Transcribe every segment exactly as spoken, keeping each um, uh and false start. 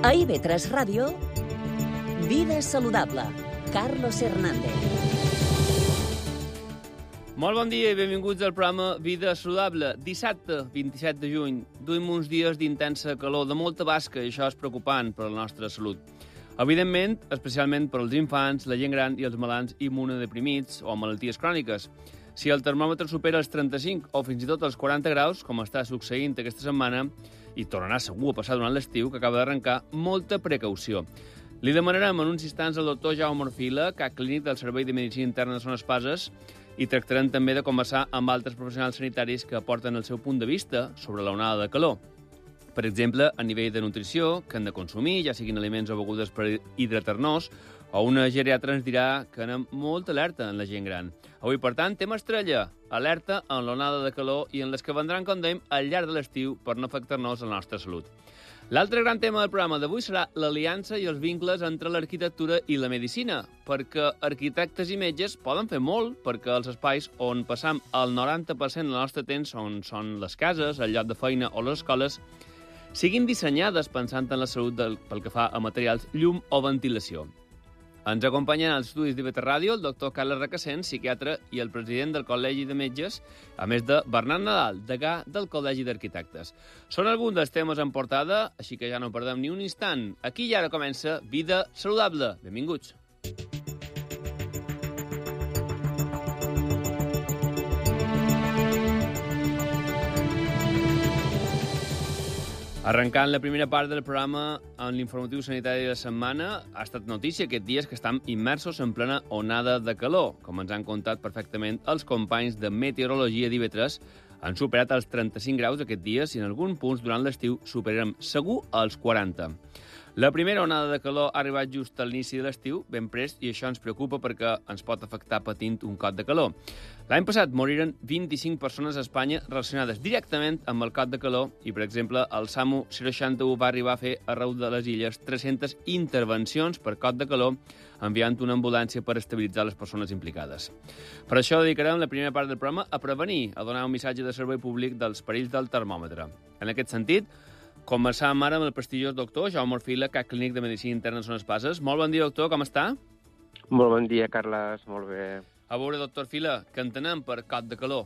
A I V tres Ràdio, Vida Saludable, Carlos Hernández. Molt bon dia i benvinguts al programa Vida Saludable. Dissabte, vint-i-set de juny, duim uns dies d'intensa calor, de molta basca, i això és preocupant per a la nostra salut. Evidentment, especialment per als infants, la gent gran i els malalts immunodeprimits o malalties cròniques. Si el termòmetre supera els trenta-cinc o fins i tot els quaranta graus, com està succeint aquesta setmana, i tornarà segur a passar durant l'estiu, que acaba d'arrencar, molta precaució. Li demanarem en uns instants al doctor Jaume Orfila, cap clínic del Servei de Medicina Interna de Son Espases, i tractarem també de conversar amb altres professionals sanitaris que aporten el seu punt de vista sobre l'onada de calor. Per exemple, a nivell de nutrició, que hem de consumir, ja siguin aliments o begudes per hidratar-nos, o una geriatra ens dirà que anem molt alerta en la gent gran. Avui, per tant, tema estrella, alerta en l'onada de calor i en les que vendran, com dèiem, al llarg de l'estiu per no afectar-nos la nostra salut. L'altre gran tema del programa d'avui serà l'aliança i els vincles entre l'arquitectura i la medicina, perquè arquitectes i metges poden fer molt perquè els espais on passam el noranta per cent del nostre temps, on són les cases, el lloc de feina o les escoles, siguin dissenyades pensant en la salut del, pel que fa a materials, llum o ventilació. Ens acompanyen als estudis d'I V tres Ràdio el doctor Carles Recasens, psiquiatre i el president del Col·legi de Metges, a més de Bernat Nadal, degà del Col·legi d'Arquitectes. Són alguns dels temes en portada, així que ja no perdem ni un instant. Aquí i ara comença Vida Saludable. Benvinguts. Arrencant la primera part del programa en l'informatiu sanitari de la setmana, ha estat notícia aquests dies que estem immersos en plena onada de calor. Com ens han contat perfectament els companys de meteorologia d'I V tres, han superat els trenta-cinc graus aquests dies i en alguns punts durant l'estiu superarem segur els quaranta. La primera onada de calor ha arribat just a l'inici de l'estiu, ben prest, i això ens preocupa perquè ens pot afectar patint un cot de calor. L'any passat moriren vint-i-cinc persones a Espanya relacionades directament amb el cot de calor i, per exemple, el SAMU seixanta u va arribar a fer arreu de les illes tres-centes intervencions per cot de calor, enviant una ambulància per estabilitzar les persones implicades. Per això dedicarem la primera part del programa a prevenir, a donar un missatge de servei públic dels perills del termòmetre. En aquest sentit, començàvem ara amb el prestigiós doctor Jaume Orfila, cap clínic de Medicina Interna de Son Espases. Molt bon dia, doctor, com està? Molt bon dia, Carles, molt bé. A veure, doctor Orfila, què entenem per cot de calor?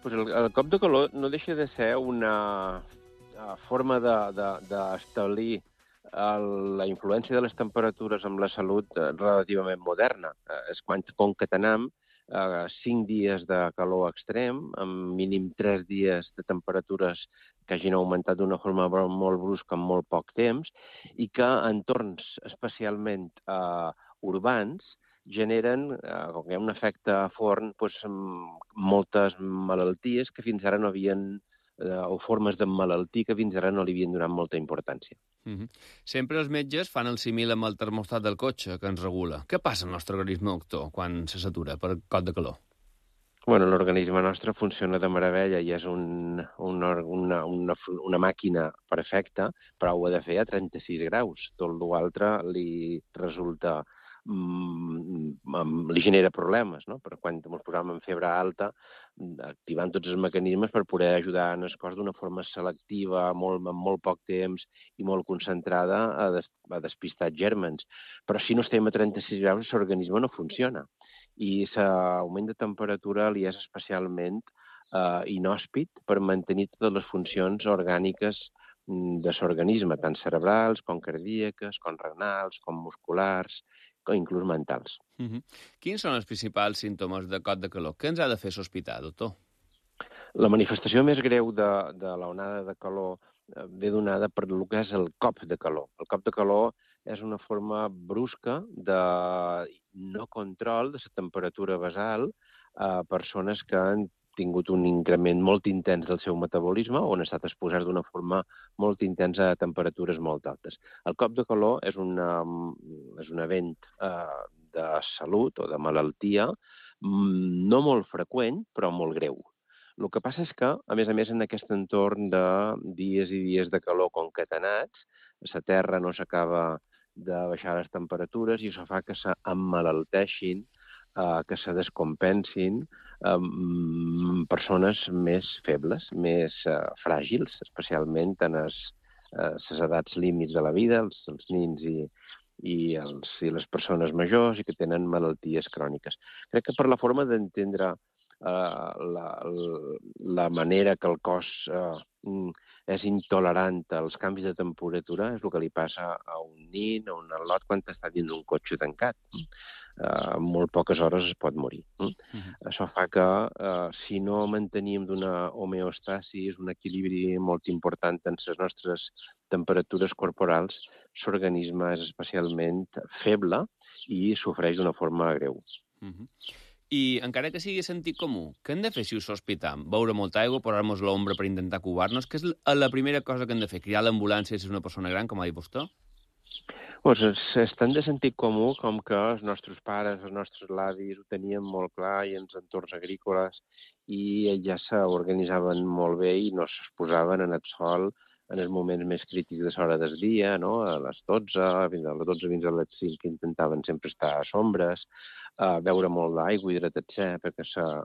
Pues el, el cop de calor no deixa de ser una uh, forma d'establir de, de, la influència de les temperatures amb la salut uh, relativament moderna. Uh, és quan concatenem uh, cinc dies de calor extrem, amb mínim tres dies de temperatures que hagin augmentat d'una forma molt brusca en molt poc temps i que en entorns especialment eh, urbans generen, eh, com que hi ha un efecte forn, doncs, moltes malalties que fins ara no havien, eh, o formes de malaltia que fins ara no li havien donat molta importància. Mm-hmm. Sempre els metges fan el símil amb el termòstat del cotxe que ens regula. Què passa al nostre organisme, doctor, quan se satura per cot de calor? Bueno, l'organisme nostre funciona de meravella i és un, un, una, una, una màquina perfecta, però ho ha de fer a trenta-sis graus. Tot l'altre li resulta, mm, li genera problemes, no? Per quan ens posàvem en febre alta, activant tots els mecanismes per poder ajudar en el cos d'una forma selectiva, molt, amb molt poc temps i molt concentrada a, des, a despistar gèrmens. Però si no estem a trenta-sis graus, l'organisme no funciona. I l'augment de temperatura li és especialment eh, inhòspit per mantenir totes les funcions orgàniques de l'organisme, tant cerebrals, com cardíaques, com renals, com musculars, com inclús mentals. Mm-hmm. Quins són els principals símptomes de cot de calor? Què ens ha de fer sospitar, doctor? La manifestació més greu de, de l'onada de calor eh, ve donada per el que és el cop de calor. El cop de calor és una forma brusca de no control de la temperatura basal a persones que han tingut un increment molt intens del seu metabolisme o han estat exposats d'una forma molt intensa a temperatures molt altes. El cop de calor és, una, és un event eh, de salut o de malaltia no molt freqüent, però molt greu. El que passa és que, a més a més, en aquest entorn de dies i dies de calor concatenats, la Terra no s'acaba de baixar les temperatures i això fa que s'emmalalteixin, eh, que se descompensin eh, persones més febles, més eh, fràgils, especialment en el, les edats límits de la vida, els, els nins i, i, els, i les persones majors i que tenen malalties cròniques. Crec que per la forma d'entendre uh, la, la manera que el cos uh, és intolerant als canvis de temperatura és el que li passa a un nin, a un al·lot, quan està dins d'un cotxe tancat. Uh, en molt poques hores es pot morir. Mm? Uh-huh. Això fa que, uh, si no mantenim d'una homeostasis, un equilibri molt important en les nostres temperatures corporals, l'organisme és especialment feble i sofreix d'una forma greu. Uh-huh. I encara que sigui sentit comú, què hem de fer si us sospitam? Beure molta aigua, posar-nos l'ombra per intentar cubar-nos? Què és la primera cosa que hem de fer? Cridar l'ambulància si és una persona gran, com ha dit vostè? Pues és tan de sentit comú com que els nostres pares, els nostres avis ho tenien molt clar i en els entorns agrícoles i ja s'organitzaven molt bé i no s'exposaven en el sol en els moments més crítics de l'hora del dia, no? A les dotze, fins a les dotze fins a les cinc, que intentaven sempre estar a sombres, a beure molt d'aigua, hidratar-se, perquè la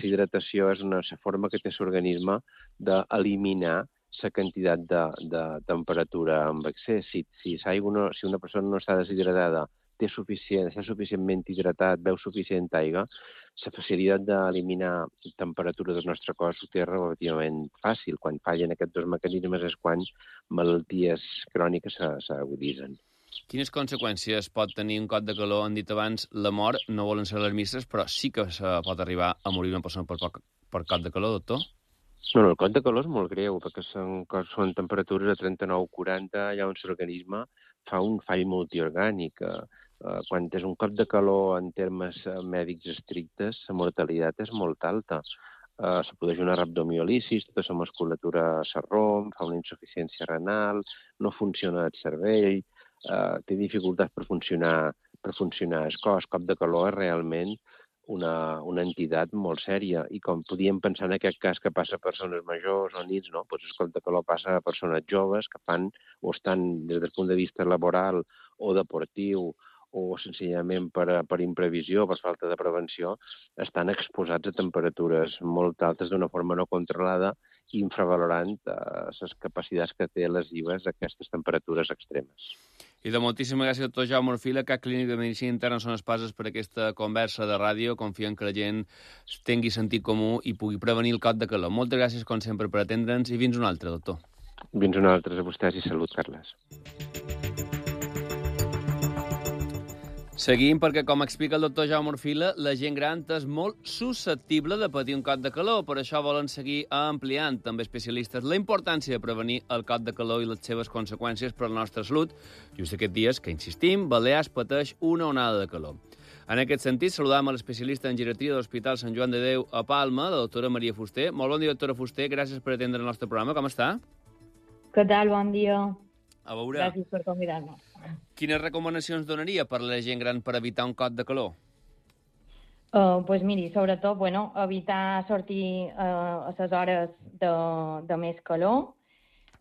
hidratació és una forma que té l'organisme d'eliminar la quantitat de, de temperatura amb excés. Si, si, no, si una persona no està deshidratada, té suficient, està suficientment hidratat, beu suficient aigua, la facilitat d'eliminar temperatura del nostre cos ho té relativament fàcil. Quan fallen aquests dos mecanismes és quan malalties cròniques s'aguditzen. Quines conseqüències pot tenir un cop de calor? Han dit abans, la mort no volen ser alarmistes, però sí que se pot arribar a morir una persona per, per cop de calor, doctor? No, no, el cop de calor és molt greu, perquè són, són temperatures de trenta-nou a quaranta, allà on l'organisme fa un fall multiorgànic. Eh, quan és un cop de calor en termes mèdics estrictes, la mortalitat és molt alta. Eh, se produeix una rhabdomiolisis, tota la musculatura se romp, fa una insuficiència renal, no funciona el cervell, eh, té dificultats per funcionar, per funcionar el cos. Cop de calor és realment Una, una entitat molt sèria, i com podíem pensar en aquest cas que passa a persones majors o nits, no? Pues el cop de calor passa a persones joves que fan o estan des del punt de vista laboral o deportiu o senzillament per, per imprevisió, per falta de prevenció, estan exposats a temperatures molt altes d'una forma no controlada, infravalorant eh, les capacitats que té lesives d'aquestes temperatures extremes. I de moltíssimes gràcies, doctor Jaume Orfila, Cap Clínic de Medicina Interna són espases per aquesta conversa de ràdio. Confiem que la gent tingui sentit comú i pugui prevenir el cop de calor. Moltes gràcies, com sempre, per atendre'ns i fins un altre, doctor. Fins un altre a vostès i salut, Carles. Seguim perquè, com explica el doctor Jaume Orfila, la gent gran és molt susceptible de patir un cop de calor. Per això volen seguir ampliant, també especialistes, la importància de prevenir el cop de calor i les seves conseqüències per a la nostra salut. Just aquests dies que, insistim, Balears pateix una onada de calor. En aquest sentit, saludam a l'especialista en geriatria de l'Hospital Sant Joan de Déu a Palma, la doctora Maria Fuster. Molt bon dia, doctora Fuster. Gràcies per atendre el nostre programa. Com està? Què tal? Bon dia. A veure, gràcies per convidar-nos. Quines recomanacions donaria per a la gent gran per evitar un cop de calor? Uh, pues miri, sobretot, bueno, evitar sortir uh, a les hores de, de més calor.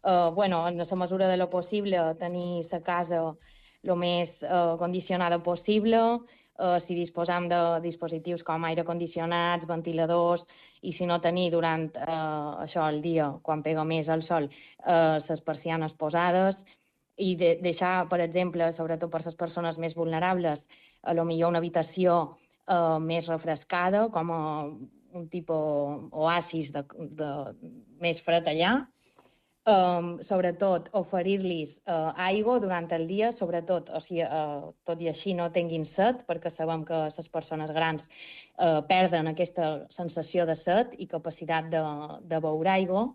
Uh, bueno, en la mesura de lo possible, tenir la casa el més uh, condicionada possible. Uh, si disposam de dispositius com aire condicionats, ventiladors, i si no tenir durant uh, això el dia, quan pega més el sol, uh, les persianes posades, i de, deixar, per exemple, sobretot per les persones més vulnerables, a lo millor una habitació eh, més refrescada, com a un tipus oasis de, de, més fred allà. Um, sobretot, oferir-los uh, aigua durant el dia, sobretot, o sigui, uh, tot i així no tinguin set, perquè sabem que les persones grans uh, perden aquesta sensació de set i capacitat de, de beure aigua.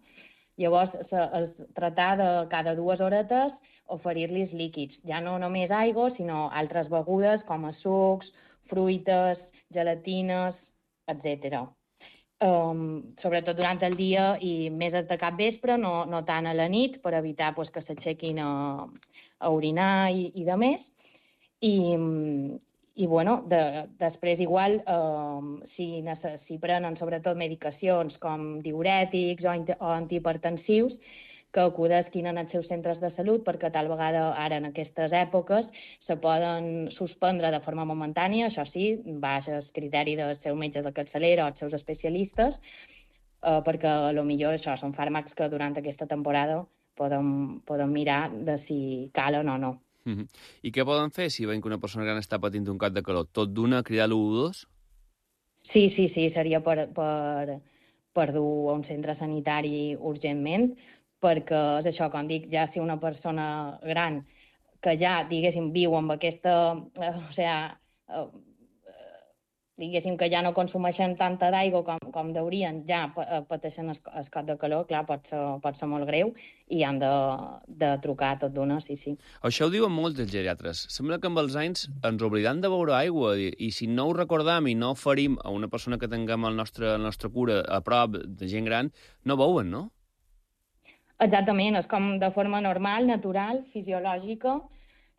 Llavors, se, es, tratar de cada dues horetes oferir-los líquids, ja no només aigua, sinó altres begudes com a sucs, fruites, gelatines, etcètera. Um, sobretot durant el dia i més de cap vespre, no, no tant a la nit, per evitar pues, que s'aixequin a, a orinar i, i de més. I, i bueno, de, després igual, um, si, si prenen sobretot medicacions com diürètics o, o antihipertensius, que acudisquin en els seus centres de salut, perquè tal vegada ara en aquestes èpoques se poden suspendre de forma momentània, això sí, baix el criteri del seu metge de capçalera o els seus especialistes, eh, perquè potser això són fàrmacs que durant aquesta temporada podem, podem mirar de si calen o no. Uh-huh. I què poden fer si veiem que una persona gran està patint un cop de calor? Tot d'una, cridar l'u u dos? Sí, sí, sí, seria per, per, per dur a un centre sanitari urgentment, perquè és això, com dic, ja si una persona gran que ja, diguéssim, viu amb aquesta, eh, o sigui, eh, diguéssim que ja no consumeixen tanta d'aigua com, com deurien, ja pateixen el, el cop de calor, clar, pot ser, pot ser molt greu i han de, de trucar tot d'una, sí, sí. Això ho diuen molts dels geriatres. Sembla que amb els anys ens oblidam de beure aigua i, i si no ho recordam i no oferim a una persona que tinguem el nostre, el nostre cura a prop de gent gran, no beuen, no? Exactament, és com de forma normal, natural, fisiològica,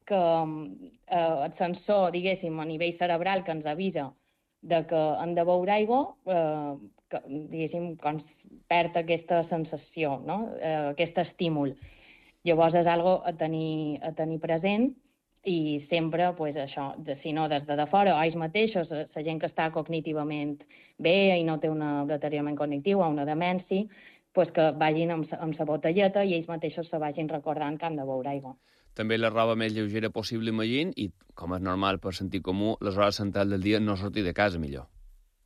que eh, el sensor, diguéssim, a nivell cerebral que ens avisa de que hem de beure aigua, eh, que, diguéssim, quan perd aquesta sensació, no? eh, aquest estímul. Llavors és algo a tenir, a tenir present i sempre, pues, això, de, si no des de, de fora, o ells mateixos, la gent que està cognitivament bé i no té un deteriorament cognitiu o una demència, pues, que vagin amb, amb la botelleta i ells mateixos se vagin recordant que han de beure aigua. També la roba més lleugera possible, imagino, i, com és normal per sentit comú, les hores centrals del dia no sortir de casa millor.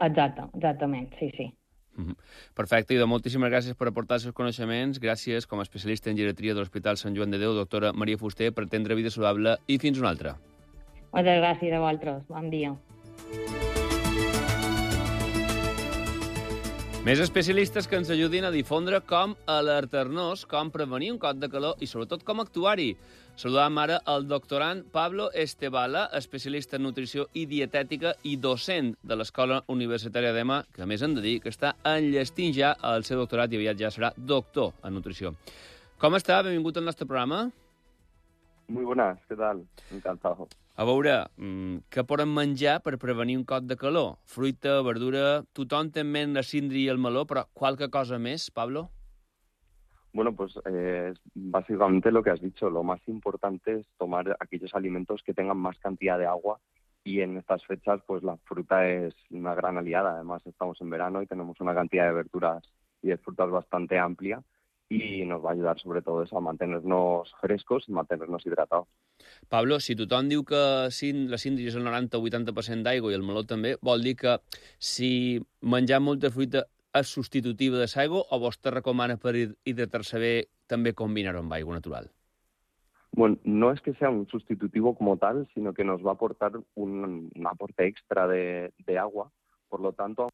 Exacte, exactament, sí, sí. Mm-hmm. Perfecte, i de moltíssimes gràcies per aportar els seus coneixements. Gràcies, com a especialista en geriatria de l'Hospital Sant Joan de Déu, doctora Maria Fuster, per atendre Vida Saludable i fins una altra. Moltes gràcies a vosaltres. Bon dia. Més especialistes que ens ajudin a difondre com alertar-nos, com prevenir un cop de calor i, sobretot, com actuar-hi. Saludam ara el doctorand Pablo Estebala, especialista en nutrició i dietètica i docent de l'Escola Universitària d'Ema, que a més hem de dir que està enllestint ja el seu doctorat i aviat ja serà doctor en nutrició. Com està? Benvingut al nostre programa. Muy buenas, ¿qué tal? Encantado. A veure, què podem menjar per prevenir un cop de calor? Fruita, verdura... Tothom té en ment la síndria i el meló, però qualque cosa més, Pablo? Bueno, pues eh, básicamente lo que has dicho. Lo más importante es tomar aquellos alimentos que tengan más cantidad de agua y en estas fechas pues la fruta es una gran aliada. Además estamos en verano y tenemos una cantidad de verduras y de frutas bastante amplia y nos va a ayudar sobre todo eso a mantenernos frescos y mantenernos hidratados. Pablo, si tothom diu que la síndria és el noranta o vuitanta per cent d'aigua i el meló també, vol dir que si menjar molta fruita és substitutiva de l'aigua o vostè recomana per hidratar-se bé també combinar-ho amb aigua natural? Bueno, no es que sea un sustitutivo como tal, sino que nos va a aportar un, un aporte extra de, de agua, por lo tanto...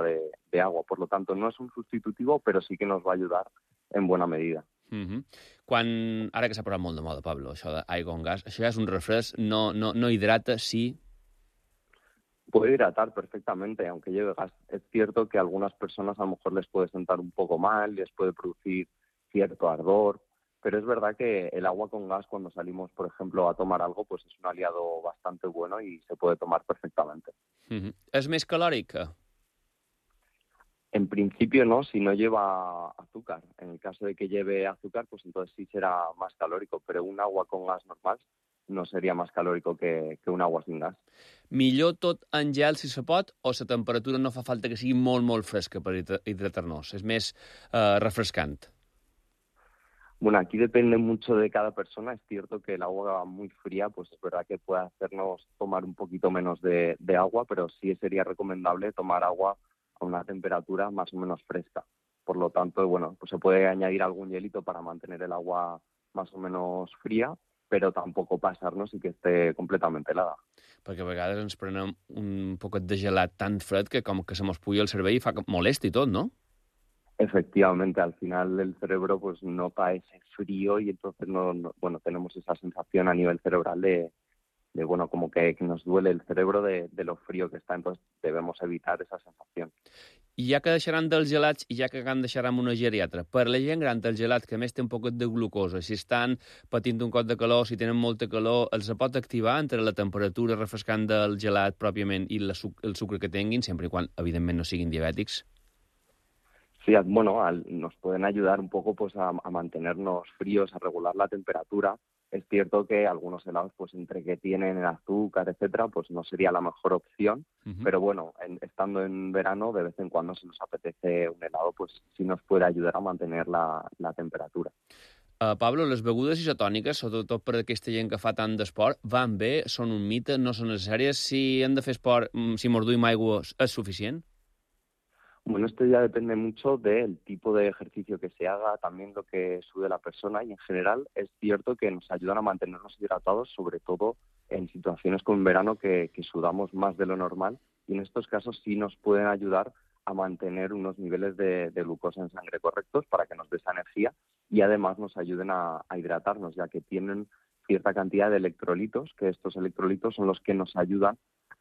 De, de agua. Por lo tanto, no es un sustitutivo, pero sí que nos va a ayudar en buena medida. Uh-huh. Quan, ara que s'ha parlat molt de moda, Pablo, això d'aigua amb gas, això ja és un refresc, no, no, no hidrata, sí? Puede hidratar perfectamente, aunque lleve gas. Es cierto que a algunas personas a lo mejor les puede sentar un poco mal, les puede producir cierto ardor, pero es verdad que el agua con gas, cuando salimos, por ejemplo, a tomar algo, pues es un aliado bastante bueno y se puede tomar perfectamente. Uh-huh. És més calòrica? En principio no, si no lleva azúcar. En el caso de que lleve azúcar, pues entonces sí será más calórico, pero un agua con gas normal no sería más calórico que, que un agua sin gas. Millor tot en gel, si se pot, o la temperatura no fa falta que sigui molt, molt fresca per hidratar-nos? És més eh, refrescant? Bueno, aquí depende mucho de cada persona. Es cierto que el agua muy fría, pues es verdad que puede hacernos tomar un poquito menos de, de agua, pero sí sería recomendable tomar agua a una temperatura más o menos fresca. Por lo tanto, bueno, pues se puede añadir algún hielito para mantener el agua más o menos fría, però tampoc passar-nos i que esté completament helada. Perquè a vegades ens prenem un poquet de gelat tan fred que com que se mos puja el cervell i fa molesta i tot, ¿no? Efectivamente, al final el cerebro pues nota ese frío y entonces no, no, bueno, tenemos esa sensación a nivel cerebral de, de bueno, como que, que nos duele el cerebro de, de lo frío que está, entonces debemos evitar esa sensación. I ja que deixaran dels gelats i ja que han deixaran una geriatra, per la gent gran del gelat que més té un poquet de glucosa, si estan patint un cop de calor, si tenen molta calor, els pot activar entre la temperatura refrescant del gelat pròpiament i la, el sucre que tinguin, sempre i quan, evidentment, no siguin diabètics? Sí, bueno, al, nos pueden ayudar un poco pues a, a mantenernos fríos, a regular la temperatura, Es cierto que algunos helados, pues entre que tienen el azúcar, etcétera, pues no sería la mejor opción. Uh-huh. Pero bueno, en, estando en verano, de vez en cuando si nos apetece un helado, pues sí nos puede ayudar a mantener la, la temperatura. Uh, Pablo, les begudes isotòniques, sobretot per aquesta gent que fa tant d'esport, van bé? Són un mite? No són necessàries? Si hem de fer esport, si mos duim aigua, és suficient? Bueno, esto ya depende mucho del tipo de ejercicio que se haga, también lo que sude la persona, y en general es cierto que nos ayudan a mantenernos hidratados, sobre todo en situaciones como en verano que, que sudamos más de lo normal, y en estos casos sí nos pueden ayudar a mantener unos niveles de, de glucosa en sangre correctos para que nos dé esa energía y además nos ayuden a, a hidratarnos, ya que tienen cierta cantidad de electrolitos, que estos electrolitos son los que nos ayudan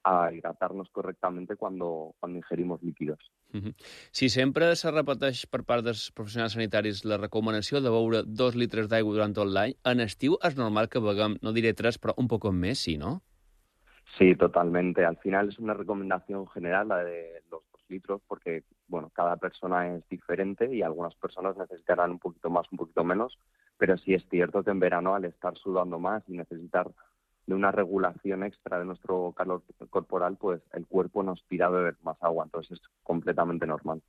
a hidratar-nos correctament quan quan ingerimos líquidos. Uh-huh. Si sempre se repeteix per part dels professionals sanitaris la recomanació de beure dos litres d'aigua durant tot l'any, en estiu és normal que beguem, no diré tres, però un poc més, sí, ¿no? Sí, totalmente. Al final es una recomendación general la de los dos litros porque, bueno, cada persona es diferente y algunas personas necesitarán un poquito más, un poquito menos, pero sí es cierto que en verano al estar sudando más y necesitar de una regulación extra de nuestro calor corporal, pues el cuerpo nos tira a beber más agua, entonces es completamente normal.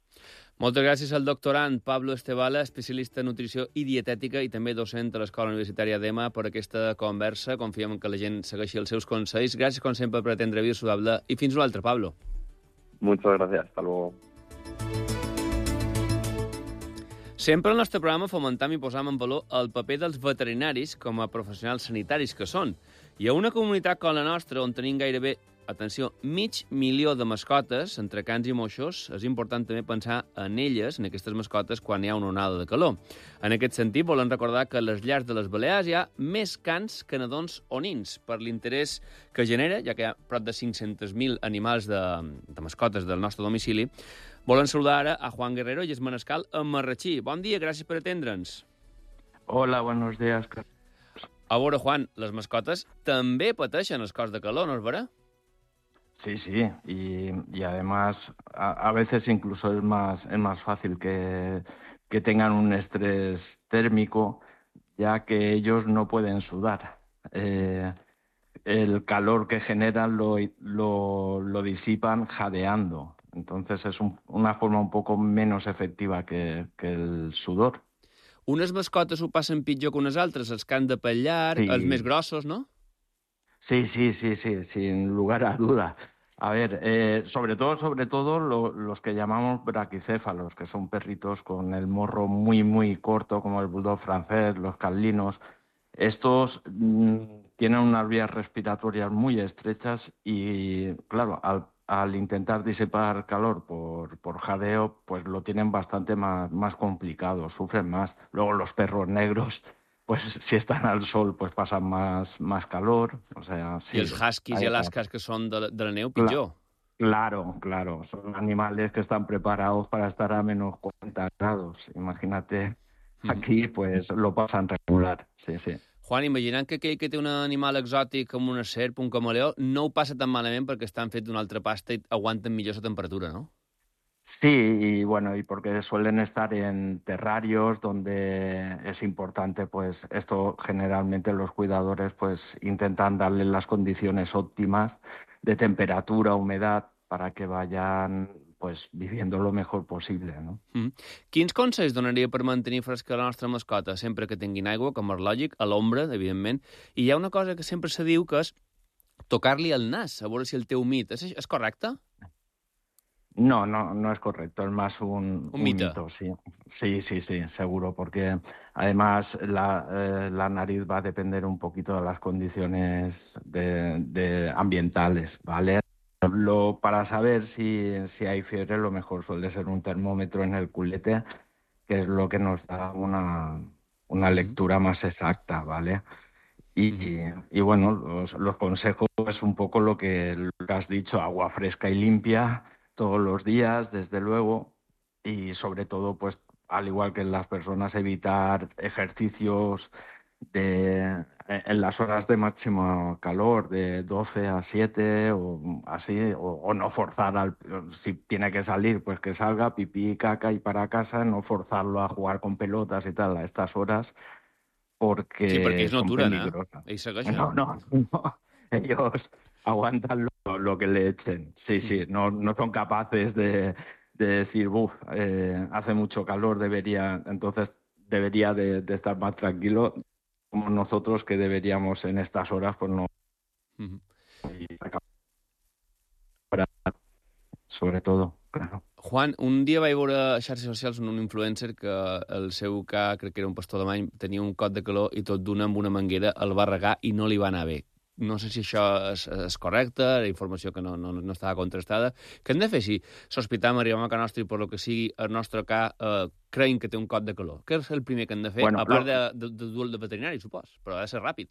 Moltes gràcies al doctorant Pablo Estebala, especialista en nutrició i dietètica i també docent a l'Escola Universitària d'Ema, per aquesta conversa. Confiem que la gent segueixi els seus consells. Gràcies, com sempre, per atendre Vida Saludable i fins una altra, Pablo. Muchas gracias, hasta luego. Sempre al nostre programa fomentam i posam en valor el paper dels veterinaris com a professionals sanitaris que són. I a una comunitat com la nostra, on tenim gairebé, atenció, mig milió de mascotes, entre cans i moixos, és important també pensar en elles, en aquestes mascotes, quan hi ha una onada de calor. En aquest sentit, volem recordar que a les llars de les Balears hi ha més cans que nadons o nins, per l'interès que genera, ja que hi ha prop de cinc-cents mil animals de, de mascotes del nostre domicili. Volem saludar ara a Juan Guerrero i es Manescal a Marratxí. Bon dia, gràcies per atendre'ns. Hola, buenos días. A veure, Juan, les mascotes també pateixen els cos de calor, ¿no es vera? Sí, sí, y, y además a, a veces incluso es más, es más fácil que, que tengan un estrés térmico, ya que ellos no pueden sudar. Eh, el calor que generan lo, lo, lo disipan jadeando, entonces es un, una forma un poco menos efectiva que, que el sudor. Unes mascotes ho passen pitjor que unes altres, els que han de pellar, sí. Els més grossos, ¿no? Sí, sí, sí, sí, sin lugar a duda. A ver, eh, sobre todo, sobre todo lo, los que llamamos braquicéfalos, que son perritos con el morro muy, muy corto, como el bulldog francés, los carlinos. Estos mmm, tienen unas vías respiratorias muy estrechas y, claro, al al intentar disipar calor por, por jadeo, pues lo tienen bastante más, más complicado, sufren más. Luego los perros negros, pues si están al sol, pues pasan más, más calor. O sea, sí, I els huskies i alaskas que són de, de la neu, pitjor. Claro, claro. Son animales que están preparados para estar a menos cuarenta grados. Imagínate, aquí pues lo pasan regular, sí, sí. Juan, imaginant que aquell que té un animal exòtic com una serp, un camaleó, no ho passa tan malament perquè estan fets d'una altra pasta i aguanten millor la temperatura, ¿no? Sí, y bueno, y porque suelen estar en terrarios donde es importante, pues esto generalmente los cuidadores pues intentan darles las condiciones óptimas de temperatura, humedad, para que vayan pues viviendo lo mejor possible, no? Mm. Quins consells donaria per mantenir fresca la nostra mascota sempre que tinguin aigua, com és lògic, a l'ombra, evidentment? I hi ha una cosa que sempre se diu que és tocar-li el nas, a veure si el té humit. És, és correcte? No, no, no es correcto, es más un, un, un mito. mito, sí. Sí, sí, sí, seguro, porque además la, eh, la nariz va a depender un poquito de las condiciones de, de ambientales, ¿vale? Lo, para saber si, si hay fiebre, lo mejor suele ser un termómetro en el culete, que es lo que nos da una, una lectura más exacta, ¿vale? Y, y bueno, los, los consejos es un poco lo que, lo que has dicho, agua fresca y limpia todos los días, desde luego, y sobre todo, pues, al igual que en las personas, evitar ejercicios de en las horas de máximo calor, de doce a siete o así, o, o no forzar, al, si tiene que salir, pues que salga, pipí, caca y para casa, no forzarlo a jugar con pelotas y tal a estas horas, porque, sí, perquè ells no son aturen, peligrosas. eh? Ells segueixen. No, no, no. Ellos aguantan lo, lo que le echen. Sí, sí, no, no son capaces de, de decir, uff, eh, hace mucho calor, debería, entonces debería de, de estar más tranquilo, como nosotros que deberíamos en estas horas, pues no. Uh-huh. Sobre todo, claro. Juan, un dia vaig veure a xarxes socials un influencer que el seu ca, crec que era un pastor alemany, tenia un cot de calor i tot d'una amb una manguera el va regar i no li va anar bé. No sé si això és, és correcte, la informació que no, no, no estava contrastada. Què hem de fer si sospitam, arribem a casa nostra i per lo que sigui el nostre ca eh, creiem que té un cot de calor? Què és el primer que hem de fer? Bueno, a part lo... de, de, de dur el de veterinari, supos, però ha de ser ràpid.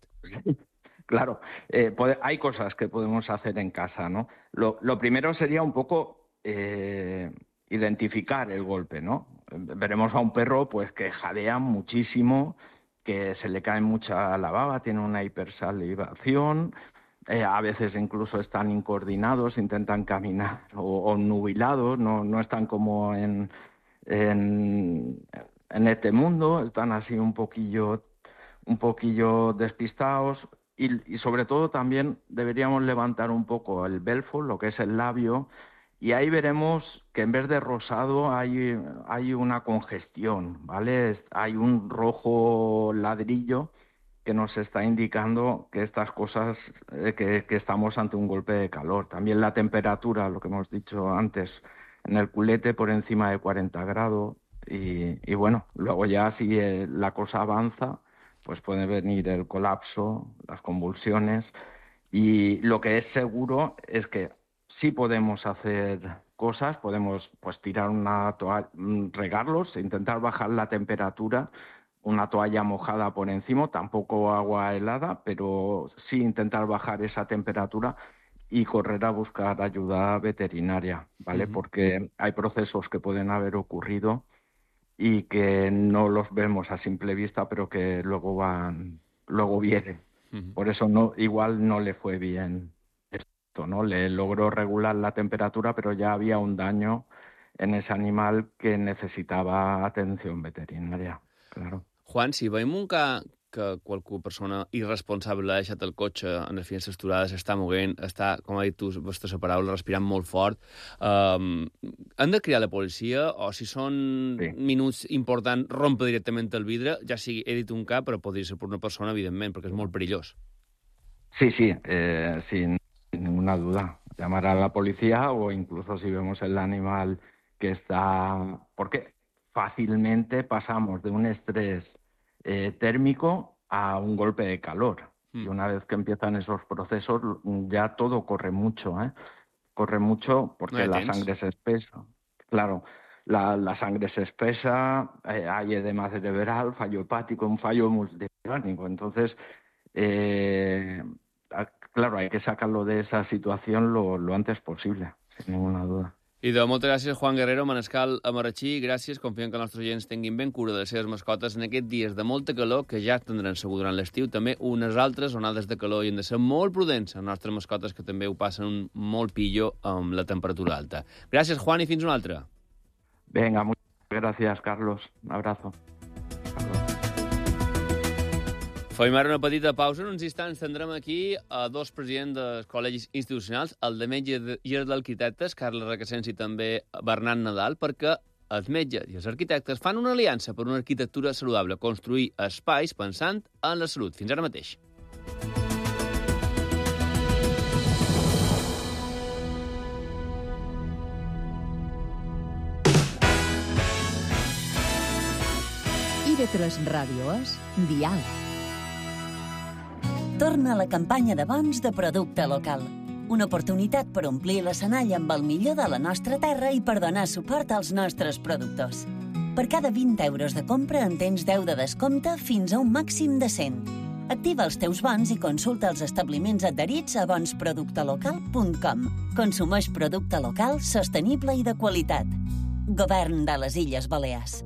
Claro, eh, puede, hay cosas que podemos hacer en casa, ¿no? Lo, lo primero sería un poco eh, identificar el golpe, ¿no? Veremos a un perro pues que jadea muchísimo, que se le cae mucha la baba, tiene una hipersalivación, eh, a veces incluso están incoordinados, intentan caminar o, o nubilados, no, no están como en, en, en este mundo, están así un poquillo, un poquillo despistados. Y, y sobre todo también deberíamos levantar un poco el belfo, lo que es el labio, y ahí veremos que en vez de rosado hay, hay una congestión, ¿vale? Hay un rojo ladrillo que nos está indicando que estas cosas, eh, que, que estamos ante un golpe de calor. También la temperatura, lo que hemos dicho antes, en el culete por encima de cuarenta grados, y, y bueno, luego ya si eh, la cosa avanza, pues puede venir el colapso, las convulsiones, y lo que es seguro es que sí podemos hacer cosas, podemos pues tirar una toalla, regarlos, intentar bajar la temperatura, una toalla mojada por encima, tampoco agua helada, pero sí intentar bajar esa temperatura y correr a buscar ayuda veterinaria, ¿vale? Uh-huh. Porque hay procesos que pueden haber ocurrido y que no los vemos a simple vista, pero que luego van, luego vienen. Uh-huh. Por eso no, igual no le fue bien esto, ¿no? Le logró regular la temperatura, pero ya había un daño en ese animal que necesitaba atención veterinaria, claro. Juan, si veiem un ca que qualque persona irresponsable ha deixat el cotxe en les finestres aturades, està moguent, està, com ha dit tu, vostra paraula, respirant molt fort, um, han de cridar la policia o si són sí. minuts importants, rompe directament el vidre, ja sigui, he dit un cap, però podria ser per una persona, evidentment, perquè és molt perillós. Sí, sí, eh, sin ninguna duda. Llamar a la policía o incluso si vemos el animal que está... Porque fácilmente pasamos de un estrés Eh, térmico a un golpe de calor. Mm. Y una vez que empiezan esos procesos, ya todo corre mucho, ¿eh? Corre mucho porque no la sangre se espesa. Claro, la, la sangre se espesa, eh, hay edema cerebral, fallo hepático, un fallo multiorgánico. Entonces, eh, claro, hay que sacarlo de esa situación lo, lo antes posible, sin ninguna duda. I de moltes gràcies, Juan Guerrero, manescal a Marratxí. Gràcies, confiem que els nostres oients tinguin ben cura de les seves mascotes en aquests dies de molta calor, que ja tindran segur durant l'estiu, també unes altres onades de calor, i hem de ser molt prudents amb les nostres mascotes, que també ho passen molt pillo amb la temperatura alta. Gràcies, Juan, i fins una altra. Venga, muchas gracias, Carlos. Un abrazo. Fem ara una petita pausa. En uns instants tindrem aquí a dos presidents dels col·legis institucionals, el de metges i el d'arquitectes, Carles Requesens i també Bernat Nadal, perquè els metges i els arquitectes fan una aliança per una arquitectura saludable, construir espais pensant en la salut. Fins ara mateix. I ve tres Ràdio és Dial. Torna a la campanya de bons de producte local. Una oportunitat per omplir l'escenari amb el millor de la nostra terra i per donar suport als nostres productors. Per cada vint euros de compra en tens deu de descompte fins a un màxim de cent. Activa els teus bons i consulta els establiments adherits a bons producte local punt com. Consumeix producte local, sostenible i de qualitat. Govern de les Illes Balears.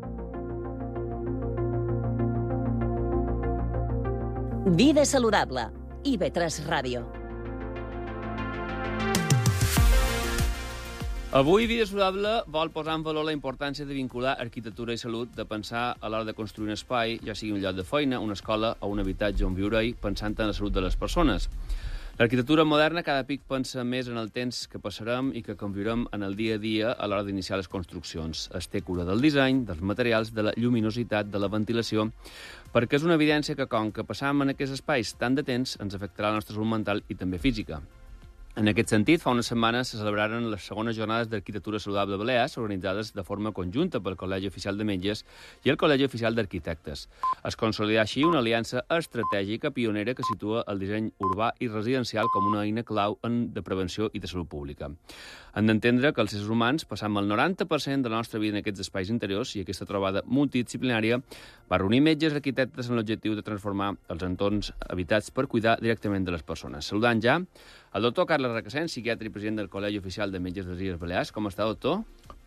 Vida saludable. I ve tres Ràdio. Avui Vida Saludable vol posar en valor la importància de vincular arquitectura i salut, de pensar a l'hora de construir un espai, ja sigui un lloc de feina, una escola o un habitatge on viure-hi, pensant en la salut de les persones. L'arquitectura moderna cada pic pensa més en el temps que passarem i que conviurem en el dia a dia a l'hora d'iniciar les construccions. Es té cura del disseny, dels materials, de la lluminositat, de la ventilació, perquè és una evidència que, com que passam en aquests espais tant de temps, ens afectarà la nostra salut mental i també física. En aquest sentit, fa unes setmanes se celebraren les segones jornades d'Arquitectura Saludable Balears, organitzades de forma conjunta pel Col·legi Oficial de Metges i el Col·legi Oficial d'Arquitectes. Es consolidà així una aliança estratègica pionera que situa el disseny urbà i residencial com una eina clau en de prevenció i de salut pública. Hem d'entendre que els éssers humans passam el noranta per cent de la nostra vida en aquests espais interiors i aquesta trobada multidisciplinària va reunir metges i arquitectes amb l'objectiu de transformar els entorns habitats per cuidar directament de les persones. Saludant ja el doctor Carles Requesens, psiquiatre i president del Col·legi Oficial de Metges de les Illes Balears. Com està, doctor?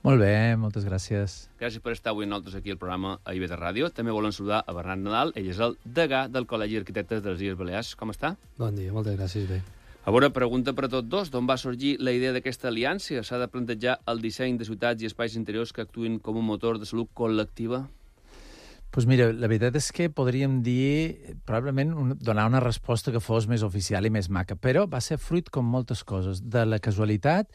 Molt bé, moltes gràcies. Gràcies per estar avui amb nosaltres aquí al programa a I B de Ràdio. També volem saludar a Bernat Nadal, ell és el degà del Col·legi d'Arquitectes de les Illes Balears. Com està? Bon dia, moltes gràcies, bé. A veure, pregunta per a tots dos. D'on va sorgir la idea d'aquesta aliança? S'ha de plantejar el disseny de ciutats i espais interiors que actuïn com un motor de salut col·lectiva? Doncs pues mira, la veritat és que podríem dir, probablement, un, donar una resposta que fos més oficial i més maca, però va ser fruit, com moltes coses, de la casualitat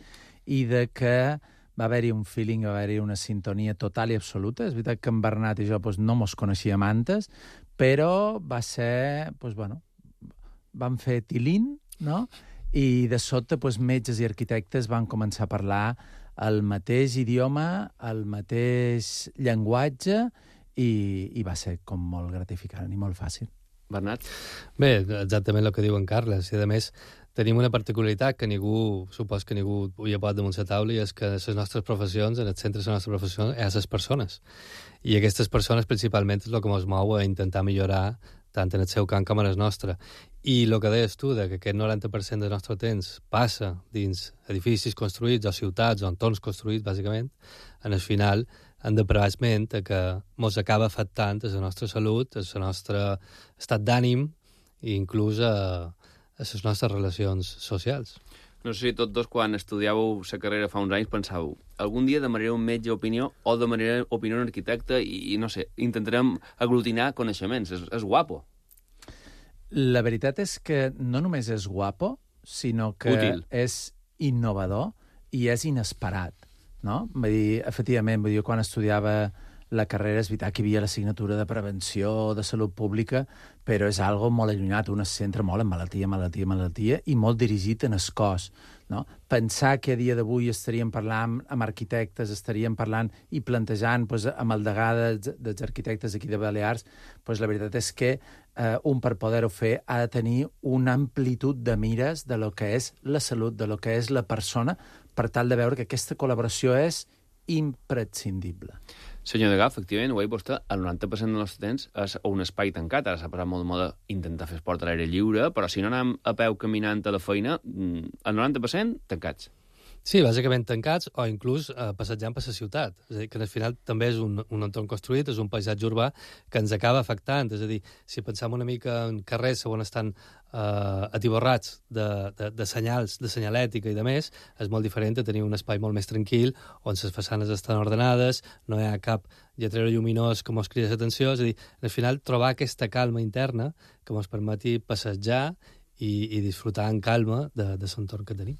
i de que va haver-hi un feeling, va haver-hi una sintonia total i absoluta. És veritat que en Bernat i jo pues, no mos coneixíem antes, però va ser, pues, bueno, vam fer tilín, no? I de sobte pues, metges i arquitectes van començar a parlar el mateix idioma, el mateix llenguatge, i, i va ser com molt gratificant i molt fàcil. Bernat? Bé, exactament el que diu en Carles. I a més, tenim una particularitat que ningú, supos que ningú ho ha posat damunt la taula, i és que les nostres professions, en el centre de la nostra professió, és les persones. I aquestes persones principalment és el que ens mou a intentar millorar tant en el seu camp com en el nostre. I el que deies tu, que aquest noranta per cent del nostre temps passa dins edificis construïts o ciutats o entorns construïts, bàsicament, en el final hem de prevar ment que ens acaba afectant a la nostra salut, a el nostre estat d'ànim i inclús a, a les nostres relacions socials. No sé si tots dos, quan estudiàveu la carrera fa uns anys, pensàveu algun dia demanaré un metge opinió o demanaré opinió un arquitecte i, no sé, intentarem aglutinar coneixements. És, és guapo. La veritat és que no només és guapo, sinó que Útil. És innovador i és inesperat. No? Vull dir, efectivament, vull dir, quan estudiava la carrera és veritat que hi havia l'assignatura de prevenció, de salut pública, però és algo molt allunyat, un es centra molt en malaltia, malaltia, malaltia, i molt dirigit en el cos. No? Pensar que a dia d'avui estaríem parlant amb arquitectes, estaríem parlant i plantejant pues, amb el degà dels, dels arquitectes aquí de Balears, pues, la veritat és que eh, un per poder-ho fer ha de tenir una amplitud de mires de lo que és la salut, de lo que és la persona, per tal de veure que aquesta col·laboració és imprescindible. Senyor Degà, efectivament, ho ha dit vostè, el noranta per cent del nostre temps és un espai tancat. Ara s'ha passat molt de moda intentar fer esport a l'aire lliure, però si no anem a peu caminant a la feina, el noranta per cent tancats. Sí, bàsicament tancats o inclús eh, passejant per la ciutat. És a dir, que al final també és un, un entorn construït, és un paisatge urbà que ens acaba afectant. És a dir, si pensem una mica en carrers on estan eh, atiborrats de, de, de senyals, de senyalètica i de més, és molt diferent de tenir un espai molt més tranquil, on les façanes estan ordenades, no hi ha cap lletrero lluminós que ens crida l'atenció. És a dir, al final trobar aquesta calma interna que ens permeti passejar i, i disfrutar en calma de, de l'entorn que tenim.